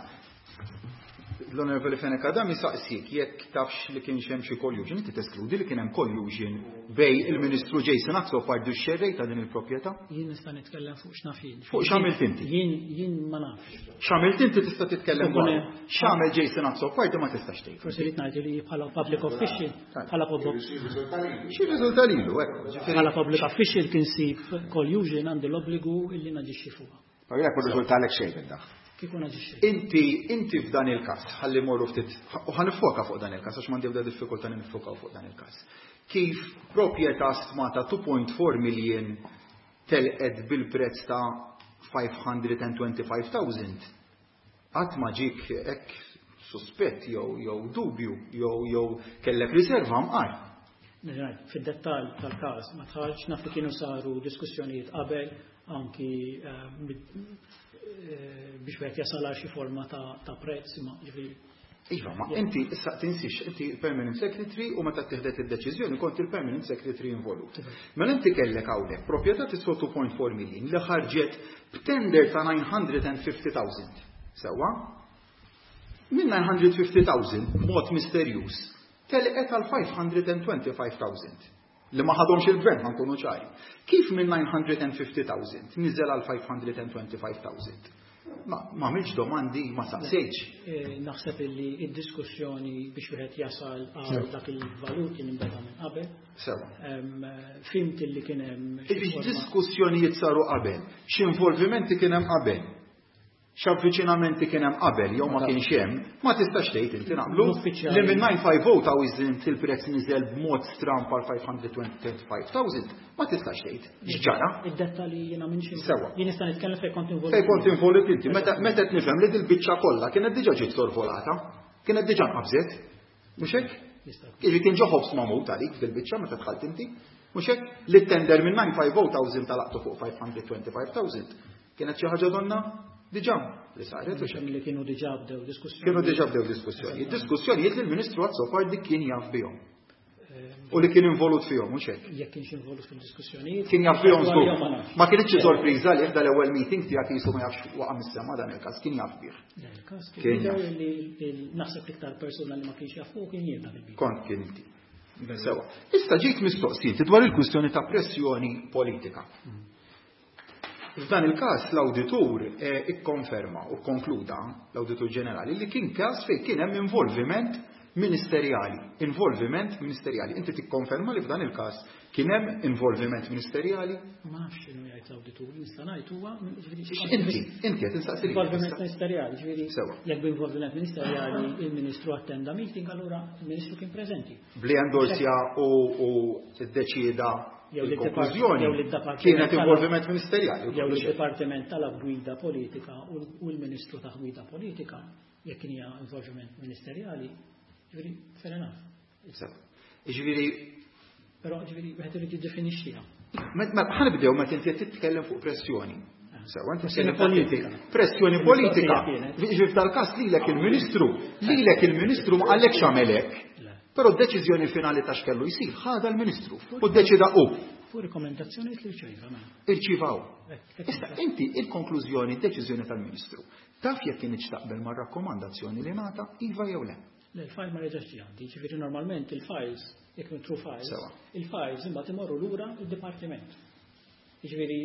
l-Onorevoli Fenech Adami saqsik jekk tafx li kien hemm xi collusion, inti teskludi li kien hemm collusion bej il-Ministru Jason Azzopardi u x-xerrej ta' din il-proprjetà? Jien nista' nitkellem fuq x'naf jien. Fuq x'għamilt inti? Jien ma nafx. X'għamilt inti tista' titkellem Fuq dwar. ne- X'għamel Jason Azzopardi ma tistax tgħid. Forsi rrid ngħid li bħala public official, bħala public Xi riżulta lilu, hekk, ġifieri. Bħala public official kien sib collusion għandi l-obbligu illi naġixxi fuqha. Ma jekk riżultalek xejn minn dak. Kieku naġixxejt. Inti, inti f'dan il-każ, ħalli morru ftit, u ħa niffoka fuq dan il-każ, għax m'għandi ebda diffikultà li niffokaw fuq dan il-każ. Kif proprjetà stmata 2.4 million telqet bil-prezz ta' 525,000, qatt ma ġiek hekk suspett jew jew dubju jew jew kellek riserva mqar? Fid-dettall tal-każ ma dħaltx, naf li kienu saru diskussjonijiet qabel anki biex wieħed jasal għal xi forma ta' prezz imma ġifieri. Iva, ma inti issa tinsix, inti permanent secretary u meta ttieħdet id-deċiżjoni kont il-permanent secretary involut. Mela inti kellek hawnhekk proprjetà tiswa 2.4 million li ħarġet b'tender ta' 950,000. Sewwa? Minn 950,000 b'mod misterjuż telqet għal 525,000 li ma ħadhomx il-gvern ħa nkunu ċari. Kif minn 950,000 niżel għal 525,000? Ma għamilx domandi, ma saqsejtx. Naħseb illi id-diskussjoni biex wieħed jasal għal dak il-valur kien inbeda minn qabel. Sewa. Fhimt illi kien hemm. Id-diskussjonijiet saru qabel, x'involvimenti kien hemm qabel. X'avviċinamenti kien hemm qabel jew ma kienx hemm, ma tistax tgħid inti naqblu li minn 950,000 il-prezz niżel b'mod stramb għal 525,000, ma tistax tgħid. X'ġara? Id-dettalji jiena minn xi. Sewa. Jien nista' nitkellem fejn kont involut. Fejn kont involut inti, meta meta qed nifhem li dil-biċċa kollha kienet diġà ġiet sorvolata, kienet diġà nqabżet. Mhux hekk? Jiġi kien ġo ħobż magħmud għalik fil-biċċa meta dħalt inti. Mhux hekk? Li t-tender minn 950,000 talaqtu fuq 525,000. Kienet xi ħaġa donna diġà li saret u xejn. Li kienu diġà bdew diskussjoni. Kienu diġà bdew diskussjoni. Diskussjonijiet li l-Ministru Azzopardi kien jaf bihom. U li kien involut fihom, mhux hekk? Jekk kienx involut fil-diskussjonijiet. Kien jaf bihom żgur. Ma kienx xi sorpriża li dal-ewwel meeting tiegħek qisu ma jafx waqa' mis-sema dan il-każ, kien jaf bih. Il-każ kien jaf. Naħseb iktar persuna li ma kienx jaf fuq kien jien dak il Kont kien inti. Sewa. Issa ġejt mistoqsijiet dwar il-kwistjoni ta' pressjoni politika. F'dan il-każ l-awditur ikkonferma u kkonkluda, l-Awditur Ġenerali, li kien każ fejn kien hemm involviment ministerjali. Involviment ministerjali. Inti tikkonferma li f'dan il-każ kien hemm involviment ministerjali? Ma nafx x'inhu jgħid l-awditur, nista' ngħid huwa Inti, inti qed insaqsi. Involviment ministerjali, ġifieri jekk b'involviment ministerjali il-Ministru attenda meeting, allura il-Ministru kien preżenti. Bli endorsja u ddeċieda Il-konklużjoni kienet involviment ministerjali. Jew il-Dipartiment tal-Gwida Politika u l-Ministru ta' Gwida Politika, jekk kien hija involviment ministerjali, ġifieri fair enough. Ġifieri Però ġifieri wieħed irid jiddefinixxiha. Ħa nibdew meta inti qed titkellem fuq pressjoni. Sewa, pressjoni politika. Pressjoni politika. Ġifieri f'dal-każ lilek il-Ministru, lilek il-Ministru ma qalekx għamel hekk. Però d-deċiżjoni finali ta' x'kellu jsir ħadha l-Ministru u ddeċida hu. Fuq rekomendazzjonijiet li rċieva mela. Irċieva hu. Issa inti il-konklużjoni, d-deċiżjoni tal-Ministru, taf jekk kinitx taqbel mar-rakkomandazzjoni li ngħata iva jew le? Le, il-file ma reġax ġie għandi, ġifieri normalment il-files, jekk nitru files, il-files imbagħad imorru lura d-dipartiment. Jiġifieri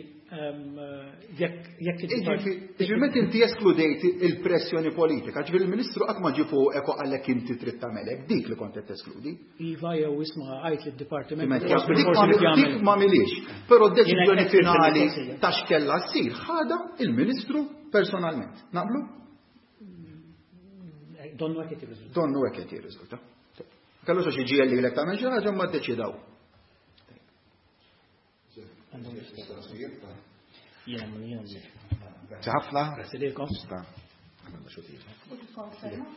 jekk jekk Jiġifieri meta inti eskludejt il-pressjoni politika, ġifieri il-Ministru qatt ma ġie fuqek u qallek inti trid tagħmel hekk, dik li kont qed teskludi. Iva jew isma' għid lid-dipartiment. Dik ma milix. Però d-deċiżjoni finali ta' x'kellha ssir ħadha il-Ministru personalment. Naqblu? Donnu hekk qed jirriżulta. Donnu hekk qed jirriżulta. Kellu xi ġiegħel lilek tagħmel xi ħaġa ma ddeċidaw. Grazzi ħafna. Grazzi lilkom.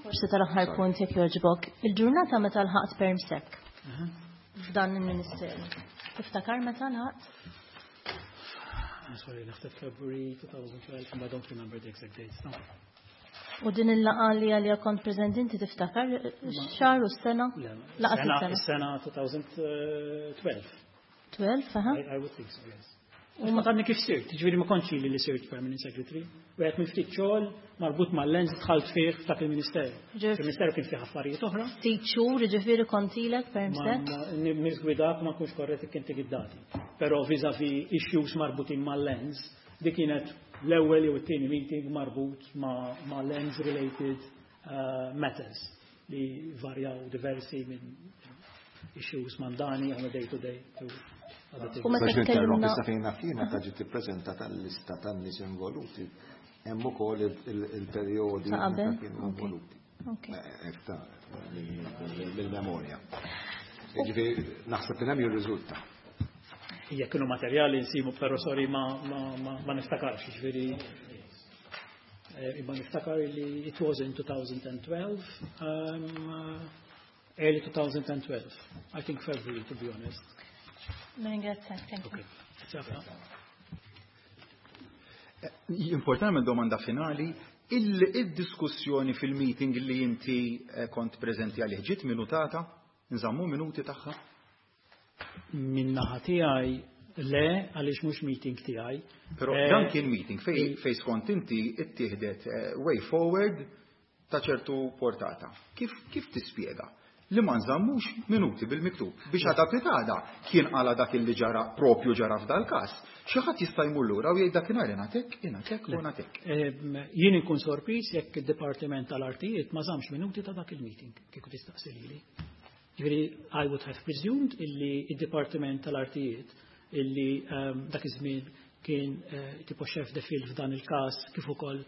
Forsi tal-aħħar punt jekk jogħġbok. Il-ġurnata meta lħaqt permsek f'dan il-ministeru. Tiftakar meta lħaqt? Sorry, naħseb February 2012, but I don't remember the exact dates. No. U din il-laqa li għalija kont preżenti inti tiftakar xahar u s-sena? Laqa s-sena 2012. 12, aha. I would think so, yes. U ma tadni kif sirt, ġifieri ma kontx li li sirt permanent secretary. U għet minn ftit xogħol marbut mal-lens dħalt fih f'dak il-ministeru. Il-ministeru kien fih affarijiet oħra. Ftit xhur, ġifieri kontilek permsek? Nisgwidak ma nkunx korrett kien tik id-dati. Però vis-a-vis issues marbutin mal-lens, dik kienet l-ewwel jew it-tieni meeting marbut ma' lens related matters li varjaw diversi minn issues mandani on a day to day to other things. U meta Biex ninterrompi tkellimna sa fejn naf jien meta ġiet ippreżentata l-lista tan-nies involuti. Hemm ukoll il-perjodi meta kienu involuti. Mill-memorja. Ġifieri naħseb li hemm jirriżulta. Jekk kienu materjali nsibu, però sorry ma niftakarx, ġifieri imma niftakar li it was in 2012, early 2012, I think February to be honest. Ringrazzjak, thank you. Importanti domanda finali, il-diskussjoni fil-meeting li inti kont preżenti għalih ġiet minutata? Nżammu minuti tagħha? Min-naħa tiegħi le, għaliex mhux meeting tiegħi. Però dan kien meeting fej skont inti ittieħdet way forward ta' ċertu portata. Kif tispjega li ma nżammux minuti bil-miktub biex għada pitada kien għala dak li ġara propju ġara f'dal każ. Xi ħadd jista' jmur lura u jgħid dakinhar ingħatek, ingħatek u ngħatek. Jien inkun sorpriż jekk id-Dipartiment tal-Artijiet ma żammx minuti ta' dak il-meeting kieku tistaqsi lili. Ġifieri I would have presumed illi id-Dipartiment tal-Artijiet illi dak iż-żmien kien tipo chef de file f'dan il-każ kif ukoll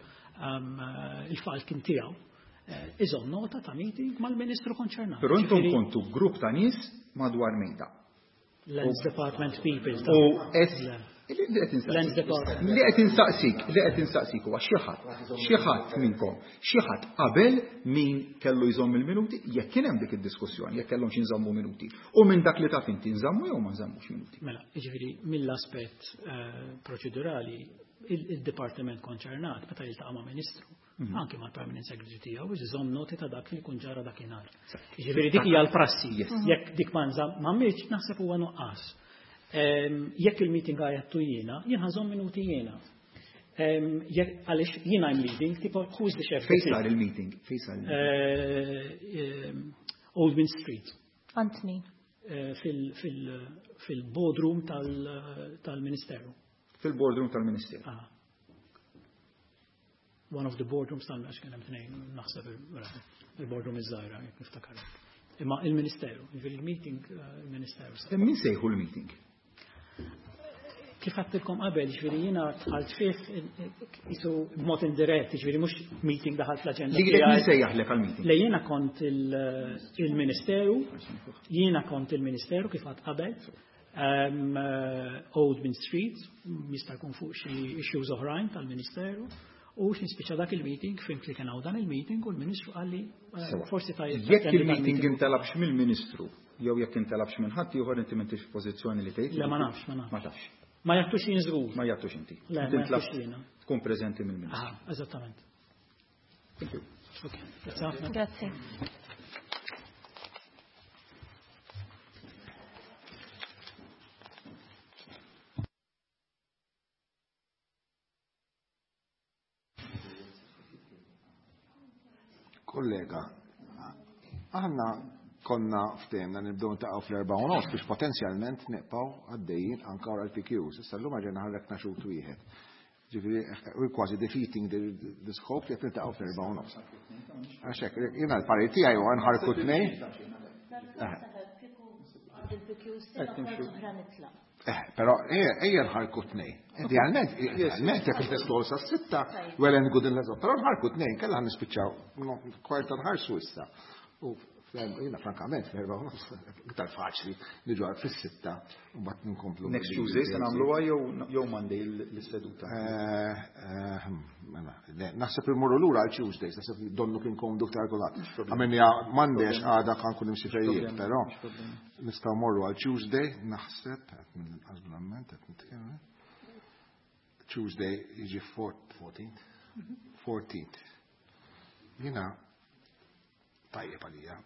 il-file kien tiegħu. Iżomm nota ta' meeting mal-Ministru konċernat. Però intom kontu grupp ta' nies madwar mejda. Lands Department people. U Lands Department. Li qed insaqsik, li qed insaqsik huwa xi ħadd, xi ħadd minnkom, xi ħadd qabel min kellu jżomm il-minuti, jekk kien hemm dik id-diskussjoni, jekk kellhom xi nżommu minuti. U minn dak li taf inti nżammu jew ma nżammux minuti. Mela, jiġifieri mill-aspett proċedurali, il-dipartiment konċernat meta jiltaqa' ma' ministru, anki mal permanent secretary tiegħu biex iżomm noti ta' dak li jkun ġara dakinhar. Jiġifieri dik hija l-prassi. Jekk dik ma m'għamilx naħseb huwa nuqqas. Jekk il-meeting għajattu jiena, jien ħażomm minuti jiena. Jekk għaliex jiena I'm leading, tipo who's the chef? Fejn sar il-meeting? Fejn sar il-meeting? Old Mint Street. Għand min? Fil-boardroom tal-Ministeru. Fil-boardroom tal-Ministeru. One of the boardrooms tal-għax kien hemm tnejn, naħseb il-boardroom iż-żgħira, jekk niftakar. Imma il-Ministeru, jiġifieri il-meeting il-Ministeru. Min sejħu l-meeting? Kif għedtilkom qabel, jiġifieri jiena dħalt fih jisu b'mod indirett, jiġifieri mhux meeting daħalt l-aġenda Li tiegħi. min sejjaħlek għall-meeting? Le jiena kont il-Ministeru, jiena kont il-Ministeru kif għedt qabel. Old Mint Street, jista' jkun fuq xi issues oħrajn tal-Ministeru. U x'nispiċċa dak il-meeting, fimt li kien hawn dan il-meeting u l-Ministru qalli forsi tajjeb Jekk tattendi il-meeting dal-meeting. intalabx mill-Ministru, jew jekk intalabx minn ħadd ieħor inti m'intix f'pożizzjoni li tgħid? Le, ma nafx, ma nafx. Ma tafx. Ma jagħtux jien żgur. Ma jagħtux inti. Le, Inti ma intlabx jagħtux jiena. Tkun preżenti mill-Ministru. Ah, eżattament. Thank you. Okay. Grazie ħafna. Grazie. Kollega, aħna konna ftehemna nibdew ntaqgħu fl-4:30 biex potenzjalment nibqgħu għaddejjin anke wara l-PQs. Issa llum ġejna ħarrekna xut wieħed. Ġifieri, we're kważi defeating the scope li qed niltaqgħu fl-4:30. Għax hekk, jiena l-parir tiegħi huwa nħarku tnejn. Però ejja nħarku tnejn. Idealment, idealment, jekk testu sa 6, well and good in l però nħarku tnejn, kellha nispiċċaw kwarta nħarsu issa. U jiena frankament, fl-erba' u nofs, iktar faċli niġu għal fis-6 u mbagħad nkomplu. Next Tuesday se nagħmluha jew Monday l-seduta. Mela, le, naħseb immorru lura għal Tuesday, naħseb donnu kien komdu iktar kulħadd. Għamilni Monday għax għada kan kun imsiferijiet, però nistgħu morru għal Tuesday, naħseb, qed mill-qasblement qed nitkellem. Tuesday jiġi 14th. 14th. Jiena tajjeb għalija.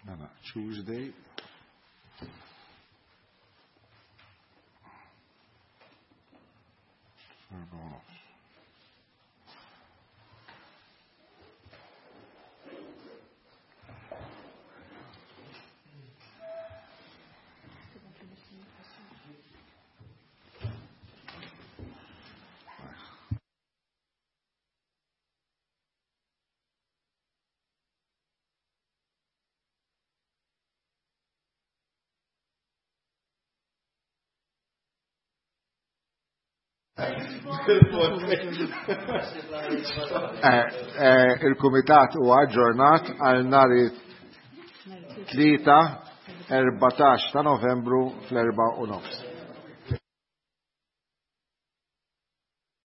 Mela, Tuesday. Erba' Eh, eh, il-Kumitat huwa aġġornat għal nhar it-Tlieta 14 ta' Novembru fl-4 u nofs.